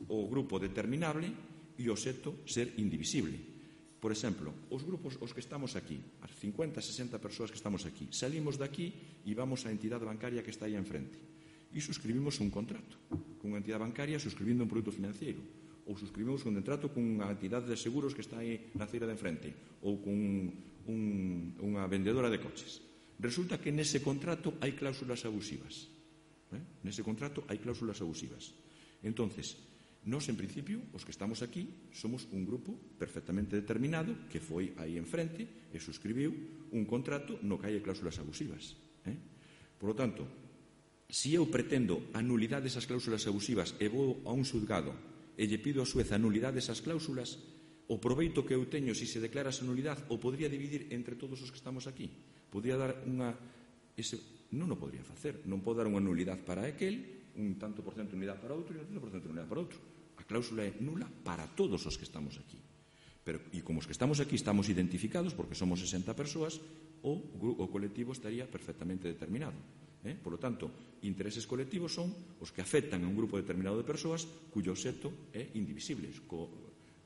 Speaker 2: o grupo determinable e o obxecto ser indivisible. Por exemplo, os grupos os que estamos aquí, as 50, 60 persoas que estamos aquí, salimos de aquí e vamos á entidade bancaria que está aí enfrente e suscribimos un contrato con unha entidade bancaria suscribindo un produto financiero, ou suscribimos un contrato con unha entidade de seguros que está aí na feira de enfrente, ou con unha vendedora de coches. Resulta que nese contrato hai cláusulas abusivas. Nese contrato hai cláusulas abusivas. Entonces, nós, en principio, os que estamos aquí, somos un grupo perfectamente determinado que foi aí enfrente e suscribiu un contrato no que hai cláusulas abusivas. Por lo tanto, se eu pretendo a nulidade desas cláusulas abusivas e vou a un xulgado e lle pido a xuez a nulidade desas cláusulas, o proveito que eu teño se se declara esa nulidade o podría dividir entre todos os que estamos aquí. Podría dar unha... Non o podría facer. Non pode dar unha nulidade para aquel, un tanto por cento de unidade para outro e un tanto por cento de unidade para outro. A cláusula é nula para todos os que estamos aquí. E como os que estamos aquí estamos identificados, porque somos 60 persoas, o colectivo estaría perfectamente determinado. Por lo tanto, intereses colectivos son os que afectan a un grupo determinado de persoas cuyo obxecto é indivisible.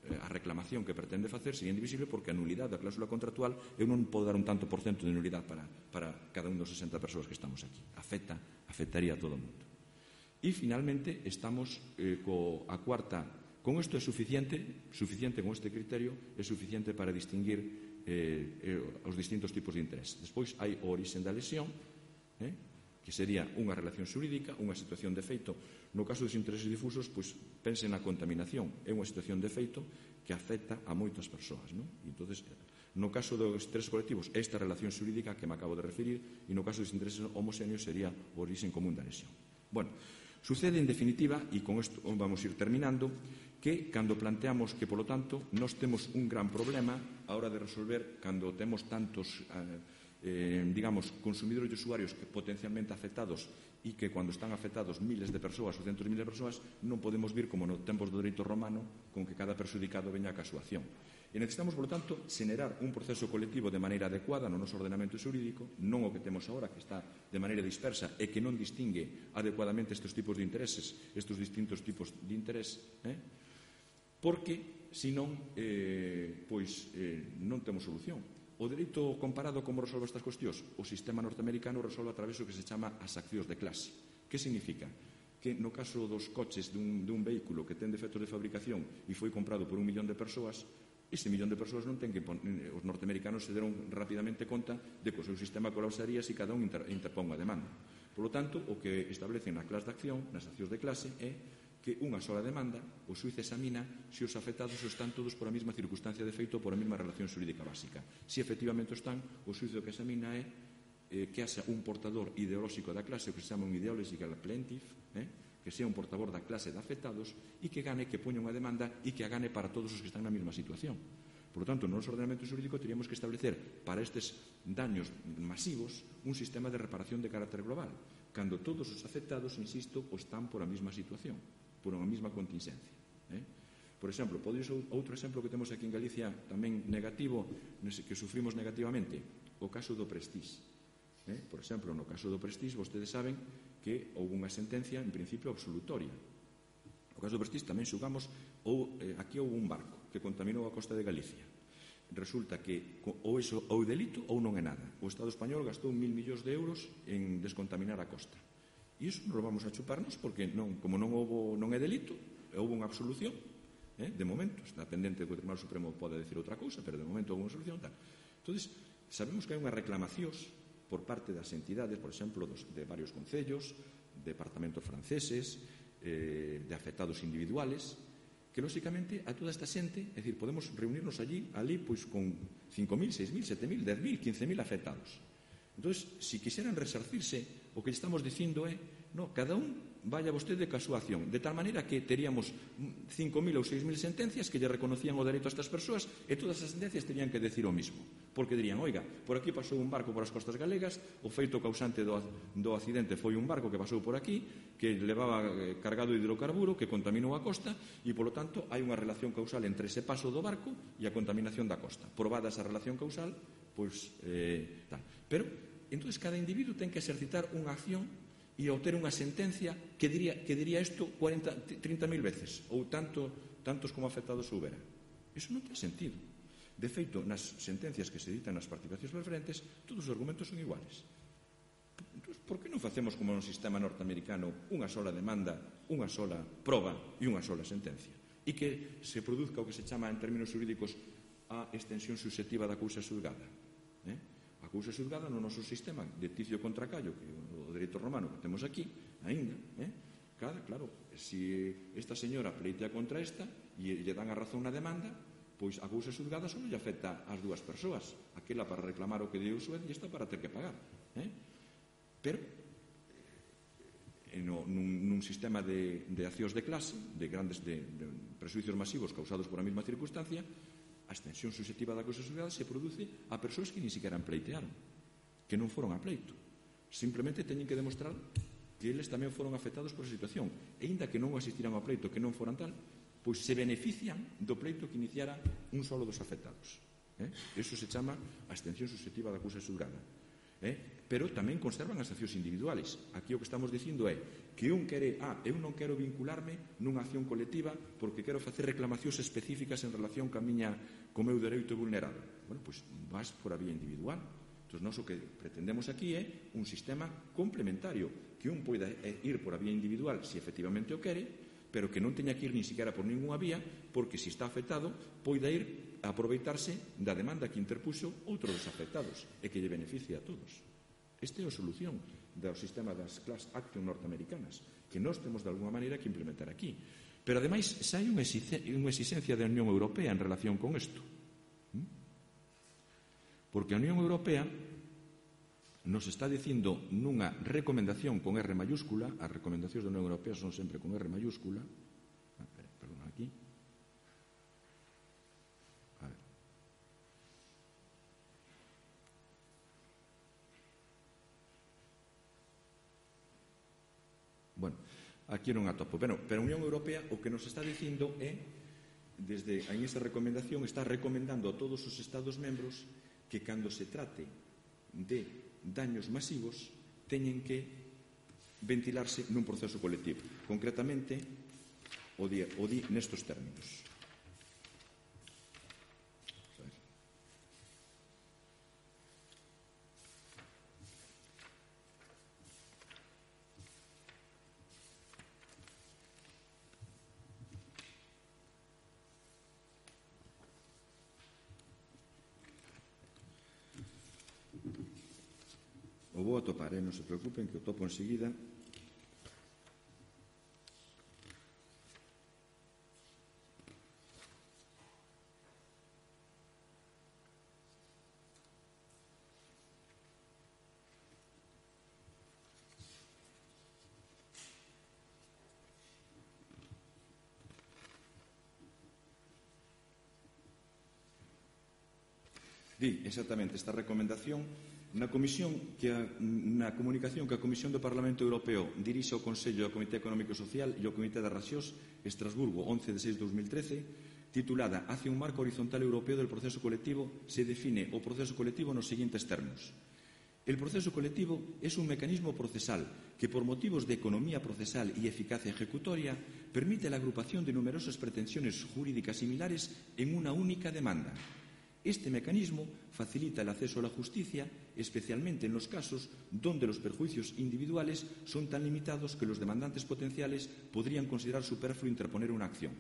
Speaker 2: A reclamación que pretende facer sería indivisible porque a nulidade da cláusula contractual eu non podo dar un tanto por cento de nulidade para cada un dos 60 persoas que estamos aquí. Afectaría a todo o mundo. E, finalmente, estamos a cuarta. Con isto é suficiente con este criterio, é suficiente para distinguir os distintos tipos de interés. Despois hai o orixen da lesión, que sería unha relación xurídica, unha situación de feito. No caso dos intereses difusos, pois, pense na contaminación. É unha situación de feito que afecta a moitas persoas. Entonces, no caso dos intereses colectivos, esta relación xurídica que me acabo de referir, e no caso dos intereses homoxéneos sería o orixen común da lesión. Bueno, sucede, en definitiva, e con isto vamos ir terminando, que cando planteamos que, polo tanto, nós temos un gran problema a hora de resolver cando temos tantos consumidores e usuarios que potencialmente afectados e que cando están afectados miles de persoas ou centos de miles de persoas non podemos vir como no tempos do dereito romano con que cada perxudicado veña a súa acción. E necesitamos, por lo tanto, xenerar un proceso colectivo de maneira adecuada no noso ordenamento xurídico, non o que temos agora, que está de maneira dispersa e que non distingue adecuadamente estes tipos de intereses, estes distintos tipos de interés, porque, senón, non temos solución. O dereito comparado como resolve estas cuestións? O sistema norteamericano resolve a través do que se chama as accións de clase. Que significa? Que no caso dos coches dun vehículo que ten defectos de fabricación e foi comprado por 1 millón de persoas, ese millón de persoas non ten que os norteamericanos se deron rapidamente conta de que o seu sistema colapsaría se cada un interpón a demanda. Por lo tanto, o que establecen na clase de acción, nas accións de clase, é que unha sola demanda, o xuiz examina se os afectados están todos por a mesma circunstancia de feito ou por a mesma relación xurídica básica. Se efectivamente están, o xuiz o que examina é que haxa un portador ideolóxico da clase, o que se chama un ideological plaintiff, que sea un portavoz da clase de afectados e que gane, que poña unha demanda e que a gane para todos os que están na mesma situación. Por lo tanto, no noso ordenamento xurídico teríamos que establecer para estes daños masivos un sistema de reparación de carácter global, cando todos os afectados, insisto, están por a mesma situación, por unha mesma contingencia. Por exemplo, outro exemplo que temos aquí en Galicia tamén negativo, que sufrimos negativamente, o caso do Prestige. Por exemplo, no caso do Prestige, vostedes saben que houve unha sentencia, en principio, absolutoria. No caso do Prestige tamén xugamos, aquí houve un barco que contaminou a costa de Galicia. Resulta que ou é delito ou non é nada. O Estado español gastou 1.000 millóns de euros en descontaminar a costa. E iso non lo vamos a chuparnos porque como non é delito, houve unha absolución. De momento, está pendente que o Tribunal Supremo pode decir outra cousa, pero de momento houve unha solución tal. Entón, sabemos que hai unha reclamacións por parte das entidades, por exemplo, de varios concellos, departamentos franceses, de afectados individuales, que, lóxicamente, a toda esta xente, é dicir, podemos reunirnos ali, pois, con 5.000, 6.000, 7.000, 10.000, 15.000 afectados. Entón, se quixeran resarcirse, o que estamos dicindo é, no, cada un vaya vostede ca súa acción, de tal maneira que teríamos 5.000 ou 6.000 sentencias que lle reconocían o dereito a estas persoas e todas as sentencias terían que decir o mismo, porque dirían, oiga, por aquí pasou un barco por as costas galegas, o feito causante do accidente foi un barco que pasou por aquí, que levaba cargado de hidrocarburo, que contaminou a costa e, polo tanto, hai unha relación causal entre ese paso do barco e a contaminación da costa. Probada esa relación causal, pois, tal. Pero, entón, cada individuo ten que exercitar unha acción e obter unha sentencia que diría isto 30.000 veces ou tantos como afectados houbera. Iso non ten sentido. De feito, nas sentencias que se editan nas participacións preferentes, todos os argumentos son iguales. Entón, por que non facemos como no sistema norteamericano unha sola demanda, unha sola proba e unha sola sentencia? E que se produzca o que se chama en términos xurídicos a extensión susceptiva da cousa xulgada. A cousa xulgada no noso sistema de Ticio contra Caio, que o dereito romano que temos aquí, aínda, claro, se esta señora pleitea contra esta e lle dan a razón na demanda, pois a cousa xulgada só lle afecta ás dúas persoas, aquela para reclamar o que deu o xuez e esta para ter que pagar. Pero nun sistema de accións de clase, de grandes presuicios masivos causados por a mesma circunstancia, a extensión susceptiva da cousa xulgada se produce a persoas que ni siquiera pleitearon, que non foron a pleito. Simplemente teñen que demostrar que eles tamén foron afectados por a situación. E inda que non asistiran ao pleito, que non foran tal, pois se benefician do pleito que iniciara un solo dos afectados. Eso se chama a extensión susceptiva da cousa xulgada. Pero tamén conservan as accións individuales. Aquí o que estamos dicindo é que un quere, eu non quero vincularme nunha acción colectiva porque quero facer reclamacións específicas en relación co meu dereito vulnerado. Bueno, pois vas por a vía individual. Entón, nós o que pretendemos aquí é un sistema complementario, que un poida ir por a vía individual se efectivamente o quere, pero que non teña que ir ni siquiera por ninguna vía, porque se está afectado, poida ir a aproveitarse da demanda que interpuxo outro dos afectados e que lle beneficie a todos. Esta é a solución do sistema das class action norteamericanas, que nós temos de alguma maneira que implementar aquí. Pero, ademais, xa hai unha exigencia da Unión Europea en relación con isto. Porque a Unión Europea nos está dicindo nunha recomendación con R mayúscula, as recomendacións da Unión Europea son sempre con R mayúscula, perdón, aquí, a ver. Bueno, aquí non atopo, pero a Unión Europea o que nos está dicindo é, en esa recomendación, está recomendando a todos os Estados membros que cando se trate de daños masivos teñen que ventilarse nun proceso colectivo. Concretamente, o di nestos términos. O vou atopar, non se preocupen, que o topo enseguida. Di exactamente esta recomendación na comunicación que a Comisión do Parlamento Europeo dirixe ao Consello do Comité Económico e Social e ao Comité das Rexións, Estrasburgo, 11 de 6 de 2013, titulada «Hacia un marco horizontal europeo del proceso colectivo», se define o proceso colectivo nos seguintes termos. El proceso colectivo es un mecanismo procesal que, por motivos de economía procesal y eficacia ejecutoria, permite la agrupación de numerosas pretensiones jurídicas similares en una única demanda. Este mecanismo facilita el acceso a la justicia, especialmente en los casos donde los perjuicios individuales son tan limitados que los demandantes potenciales podrían considerar superfluo interponer una acción.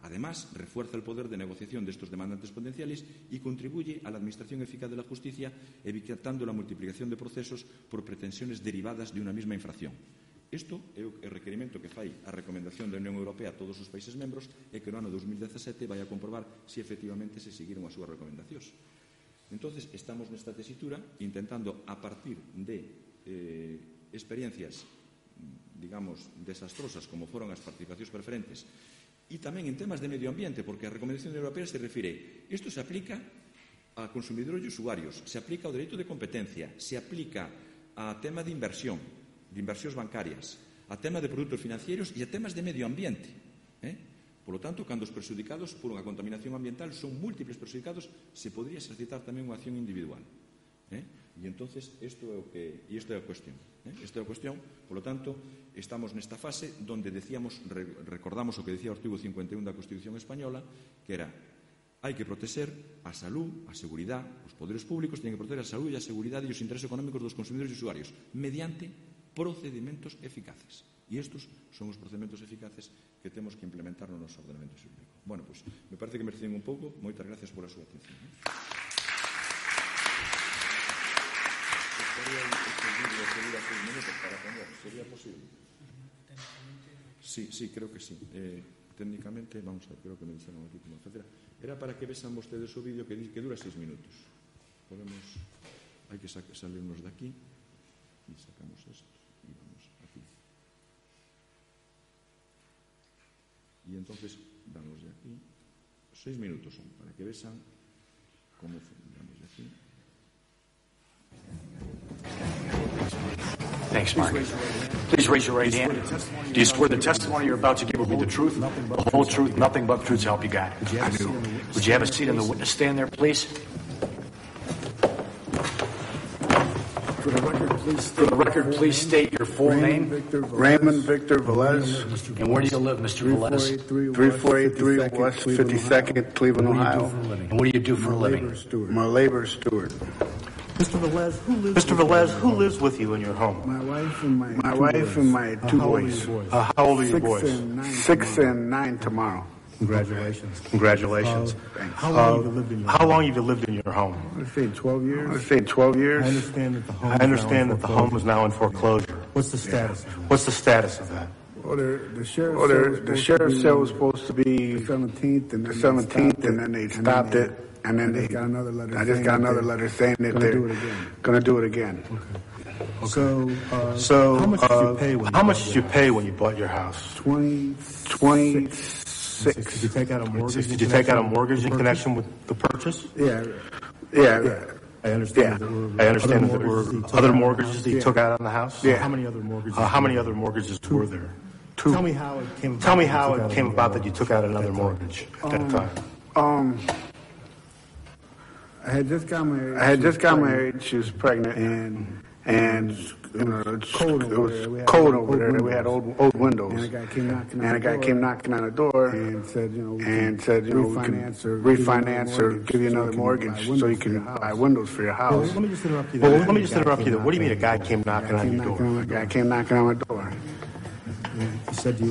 Speaker 2: Además, refuerza el poder de negociación de estos demandantes potenciales y contribuye a la administración eficaz de la justicia, evitando la multiplicación de procesos por pretensiones derivadas de una misma infracción. Isto é o requerimento que fai a recomendación da Unión Europea a todos os países membros e que no ano 2017 vai a comprobar se efectivamente se seguiron as súas recomendacións. Entonces, estamos nesta tesitura intentando, a partir de experiencias, digamos, desastrosas como foron as participacións preferentes e tamén en temas de medio ambiente, porque a recomendación europea se refire, isto se aplica a consumidores e usuarios, se aplica ao dereito de competencia, se aplica a tema de inversións bancarias, a tema de produtos financieros e a temas de medio ambiente. Por lo tanto, cando os perxudicados por unha contaminación ambiental son múltiples perxudicados, se podría exercitar tamén unha acción individual. E entonces, isto é a cuestión. Esta é a cuestión, por lo tanto, estamos nesta fase donde recordamos o que decía o artigo 51 da Constitución Española, que era hai que proteger a salud, a seguridade, os poderes públicos tienen que proteger a salud e a seguridade e os intereses económicos dos consumidores e usuarios mediante procedimentos eficaces. E estes son os procedimentos eficaces que temos que implementar no noso ordenamento xurídico. Bueno, pois, me parece que me recibín un pouco. Moitas gracias pola súa atención. ¿Sería posible? Sí, creo que sí. Técnicamente, vamos a ver, creo que me dixeron aquí como etcétera. Era para que vesan vostedes o vídeo que dura 6 minutos. Hai que salirnos de aquí e sacamos esto e vamos aquí. Y entonces damos de aquí 6 minutos son para que vean cómo damos de aquí.
Speaker 3: Thanks, Mark. Please raise your right hand. Do you swear the testimony you're about to give will be the truth, the whole truth, nothing but the truth, so help you God?
Speaker 4: I do.
Speaker 3: Would you have a seat in the witness stand there, please?
Speaker 4: For
Speaker 3: the record, please state your full name.
Speaker 4: Raymond Victor Velez.
Speaker 3: And where do you live, Mr. Velez?
Speaker 4: 3483 West 52nd, Cleveland, Ohio.
Speaker 3: And what do you do for a living?
Speaker 4: I'm a labor steward.
Speaker 3: Mr. Velez, who lives with you in your home?
Speaker 4: My wife and my two boys.
Speaker 3: How old are your boys?
Speaker 4: 6 and 9 tomorrow.
Speaker 3: Congratulations.
Speaker 4: How
Speaker 3: long have you lived in your home?
Speaker 4: I'd say 12 years. I
Speaker 3: understand that the home is now in foreclosure.
Speaker 5: What's the status of that?
Speaker 4: Well, the sheriff's sale was supposed to be the 17th, and then they stopped it. And then I just got another letter saying that they're going to do it again.
Speaker 5: Okay.
Speaker 3: So,
Speaker 5: how much did you pay when you bought your house?
Speaker 4: 26.
Speaker 5: Did you take out a mortgage?
Speaker 3: Did you take out a mortgage in connection with the purchase?
Speaker 4: Yeah.
Speaker 5: I understand that there were
Speaker 3: other mortgages that you took out on the house?
Speaker 4: Yeah.
Speaker 5: How many other mortgages?
Speaker 3: How many other mortgages were there?
Speaker 4: 2.
Speaker 5: Tell me how it came about that you took out another mortgage at that time.
Speaker 4: I had just got married. She was pregnant, and you know, it was cold over there. We had old windows.
Speaker 5: And a guy came knocking on the door
Speaker 4: and said, you know, we can refinance or give you another mortgage so you can buy windows for your house.
Speaker 5: Let me just interrupt you there. What do you mean a guy came knocking on your door?
Speaker 4: A guy came knocking on my door.
Speaker 5: He said to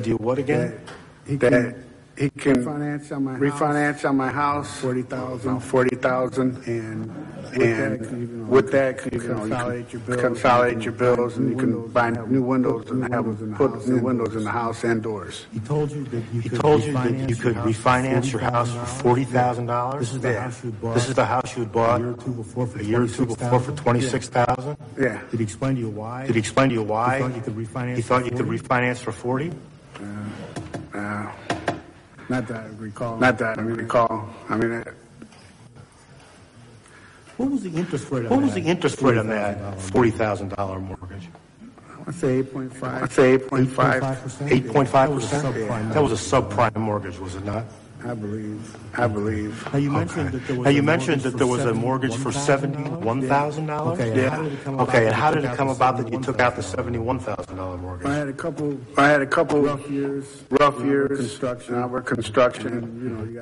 Speaker 5: you what again?
Speaker 4: That he can refinance on my house $40,000, and with that, you can consolidate your bills, and you can buy new windows and put new windows in the house and doors.
Speaker 5: He told you that you could refinance your house for $40,000. This is the house you had bought a year or two before for $26,000.
Speaker 4: Yeah.
Speaker 5: Did he explain to you why?
Speaker 3: He thought you could refinance for $40,000.
Speaker 4: Not that I recall. I mean,
Speaker 5: What was the interest rate on that $40,000 mortgage?
Speaker 4: I'd say 8.5.
Speaker 5: 8.5%? That was a subprime mortgage, was it not?
Speaker 4: I believe.
Speaker 5: Now you mentioned that there was a mortgage for $71,000.
Speaker 4: Okay,
Speaker 5: and how did it come about that you took out the $71,000 mortgage?
Speaker 4: I had a couple rough years. Construction. And you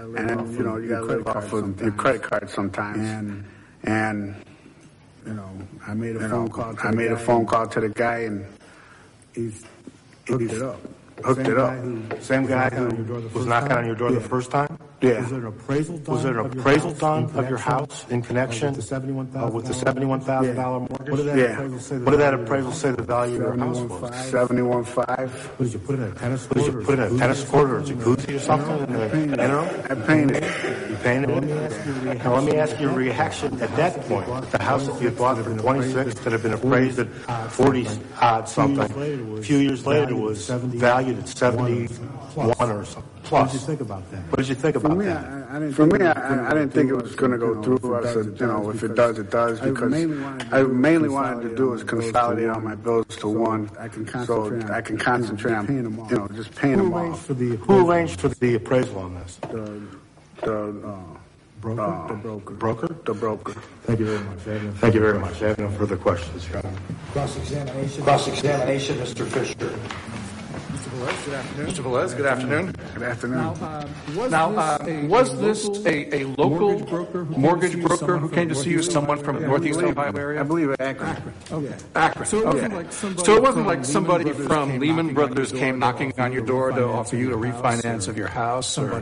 Speaker 4: gotta live off of your credit card sometimes. And I made a phone call to the guy, and he's hooked it up.
Speaker 5: Same guy who was knocking on your door the first time?
Speaker 4: Yeah.
Speaker 5: Was there an appraisal done of your house in connection with the $71,000 mortgage? What did that appraisal say the value of your house was?
Speaker 4: $71,500.
Speaker 5: What did you put in a tennis court or a jacuzzi or something?
Speaker 4: I painted.
Speaker 5: You painted it? Now let me ask your reaction at that point. The house that you bought for $26,000 that had been appraised at $40,000 something. A few years later it was valued at $71,000 or something. Plus.
Speaker 4: What did you think about that?
Speaker 5: What did you think about that?
Speaker 4: For me, I didn't think it was going to go through. I said, if it does, it does. Because I mainly wanted to do is consolidate all my bills to one, so I can concentrate on, just paying them off.
Speaker 5: Who arranged for the appraisal on this?
Speaker 4: The broker.
Speaker 5: Thank you very much. I have no further questions, Your Honor.
Speaker 6: Cross-examination, Mr. Fisher. Mr. Velez, good afternoon.
Speaker 4: Good afternoon.
Speaker 6: Was this a local mortgage broker who came to see you, someone from Northeast Ohio area?
Speaker 4: I believe Akron.
Speaker 6: Akron. So it wasn't like somebody from Lehman Brothers came knocking on your door to offer you a refinance of your house, or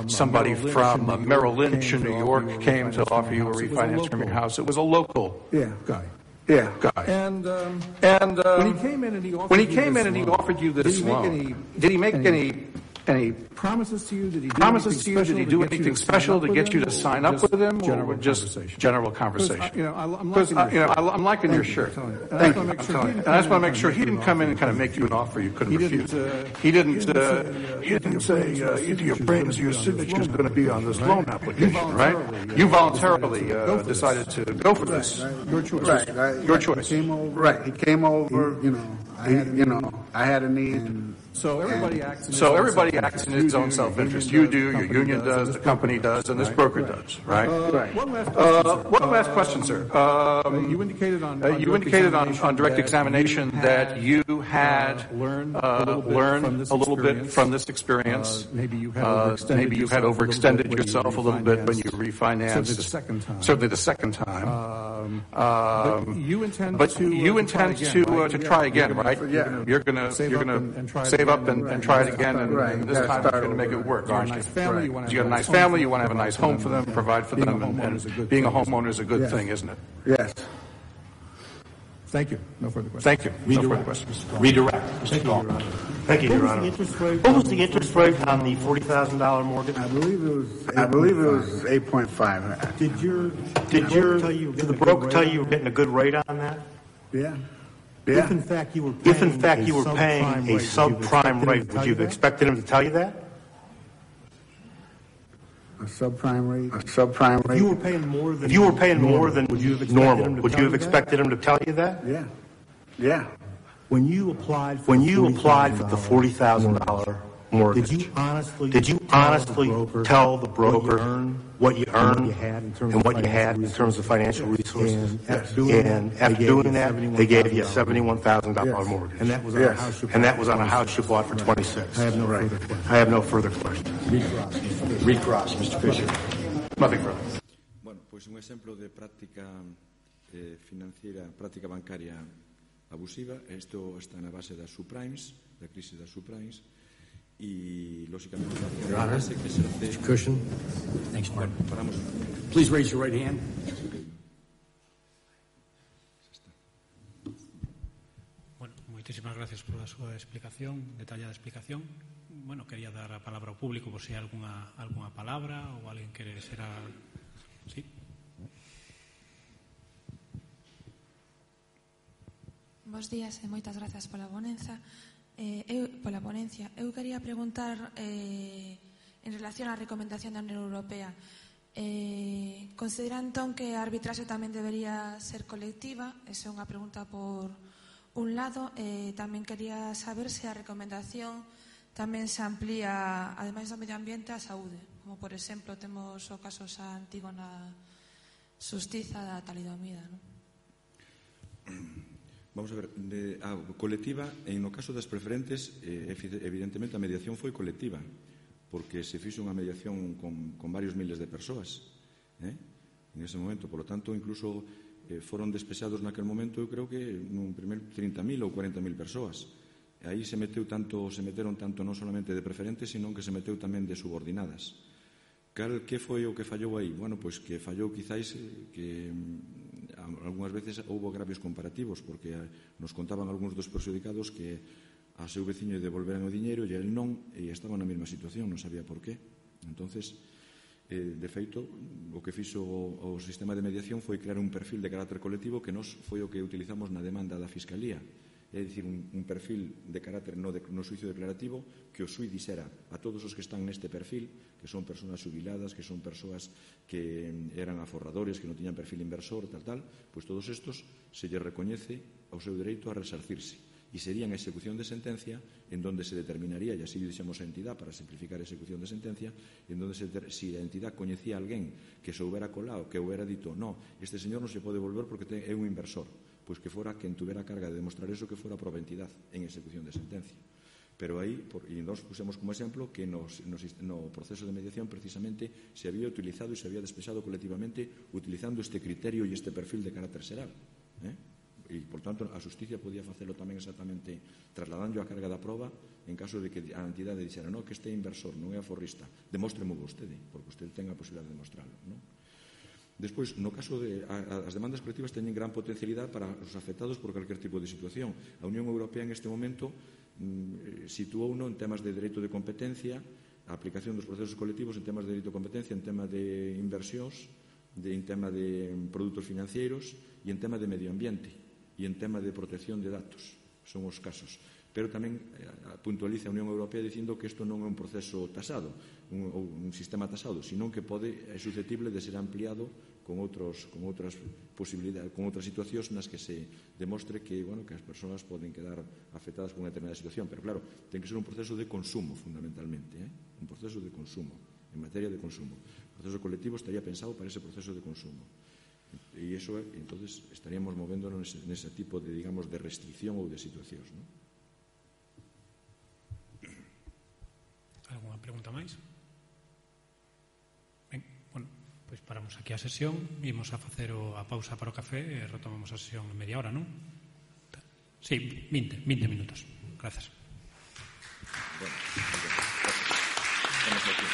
Speaker 6: somebody from Merrill Lynch in New York came to offer you a refinance from your house. It was a local guy.
Speaker 4: Yeah.
Speaker 6: And when he came in and he offered you this loan, did he make any promises to you? Did he do anything special to get you to sign up with him, or just general conversation? I'm liking your shirt. Thank you. And I just want to make sure he didn't come in and kind of make you an offer you couldn't refuse. He didn't say your signature is going to be on this loan application, right? You voluntarily decided to go for this.
Speaker 4: Your choice. Your choice. He came over. I had a need.
Speaker 6: So everybody acts in his own self-interest. You do, your union does, the company does, and this broker does, right?
Speaker 4: One
Speaker 6: last question, sir. You indicated on direct examination that you had learned a little bit from this experience. Maybe you had overextended yourself a little bit when you refinanced. Certainly the second time. But you intend to try again, right? You're gonna save up and try it again, and this time you're going to make it work, aren't you? You got a nice family, you want to have a nice home for them, provide for them, and being a homeowner is a good thing, isn't it?
Speaker 4: Yes.
Speaker 6: Thank you. No further questions.
Speaker 5: Redirect. Thank you, Your Honor. What was the interest rate on the $40,000 mortgage?
Speaker 4: I believe it was 8.5.
Speaker 5: Did the broker tell you were getting a good rate on that?
Speaker 4: Yeah.
Speaker 5: If in fact you were paying a subprime rate, would you have expected him to tell you that?
Speaker 4: A subprime rate.
Speaker 5: If you were paying more than normal, would you have expected him to tell you that?
Speaker 4: Yeah.
Speaker 5: When you applied for the $40,000 mortgage, did you honestly tell the broker what you earned and what you had in terms of financial resources? And after doing that, they gave you a $71,000 mortgage. And that was on a house you bought for $26,000. I have no further questions.
Speaker 6: Recross, Mr. Fisher. Nothing further.
Speaker 2: Bueno, pues un ejemplo de práctica financiera, práctica bancaria abusiva. Esto está na base das subprimes, da crisis das subprimes. Y lógicamente
Speaker 7: Your Honor, Mr. Cushion. Thanks, Mark. Please raise your right hand.
Speaker 1: Bueno, muchísimas gracias por la súa explicación, detallada explicación. Bueno, quería dar a palabra ao público por si hai alguna palabra ou alguén quere ser a... Sí.
Speaker 8: Bos días e moitas grazas pola ponencia. Eu quería preguntar en relación á recomendación da Unión Europea. Considera entón que a arbitraxe tamén debería ser colectiva? Esa é unha pregunta por un lado. Tamén quería saber se a recomendación tamén se amplía, ademais do medio ambiente, a saúde, como por exemplo temos o caso xa antigo na xustiza da talidomida, non?
Speaker 2: Vamos a ver, a colectiva, no caso das preferentes, evidentemente a mediación foi colectiva, porque se fixo unha mediación con varios miles de persoas en ese momento. Por lo tanto, incluso foron despexados naquel momento, eu creo que nun primer 30.000 ou 40.000 persoas. Aí se meteron tanto non solamente de preferentes, sino que se meteu tamén de subordinadas. Que foi o que fallou aí? Bueno, pois que fallou quizáis que algunhas veces houve agravios comparativos, porque nos contaban algúns dos perxudicados que a seu veciño devolveran o diñeiro e el non, e estaba na mesma situación, non sabía por qué. Entonces, de feito, o que fixo o sistema de mediación foi crear un perfil de carácter colectivo que nos foi o que utilizamos na demanda da Fiscalía. É dicir, un perfil de carácter no xuicio declarativo que o xuiz dixera a todos os que están neste perfil, que son persoas xubiladas, que son persoas que eran aforradores, que non tiñan perfil inversor, tal, pois todos estos se lle recoñece o seu dereito a resarcirse. E sería en execución de sentencia en donde se determinaría, e así dixemos a entidade para simplificar a execución de sentencia, en donde se a entidade coñecía a alguén que se houbera colado, que houbera dito, no, este señor non se pode volver porque é un inversor, pois que fora quen tuvera a carga de demostrar eso, que fora a prova entidade en execución de sentencia. Pero aí, e nos pusemos como exemplo que no proceso de mediación precisamente se había utilizado e se había despexado colectivamente utilizando este criterio e este perfil de carácter xeral. E, por tanto, a xusticia podía facelo tamén exactamente trasladando a carga da prova en caso de que a entidade dixera que este é inversor, non é aforrista, demóstremo vostede, porque vostede ten a posibilidade de demostrarlo, non? Despois, no caso de as demandas colectivas teñen gran potencialidade para os afectados por calquer tipo de situación. A Unión Europea en este momento situouno en temas de dereito de competencia, a aplicación dos procesos colectivos en temas de dereito de competencia, en tema de inversións, en tema de produtos financeiros e en tema de medio ambiente e en tema de protección de datos. Son os casos. Pero tamén puntualiza a Unión Europea dicindo que isto non é un proceso tasado, un sistema tasado, sino que é susceptible de ser ampliado con outras posibilidades, con outras situacións nas que se demostre que as persoas poden quedar afectadas por unha determinada situación. Pero claro, ten que ser un proceso de consumo, fundamentalmente, un proceso de consumo, en materia de consumo. O proceso colectivo estaría pensado para ese proceso de consumo. E iso, entonces, estaríamos movéndonos nese tipo de, digamos, de restricción ou de situacións, non?
Speaker 1: Alguna pregunta máis? Ben, bueno, pois paramos aquí a sesión, imos a facer a pausa para o café e retomamos a sesión en media hora, non? Sí, 20 minutos. Gracias. Bueno, estamos aquí.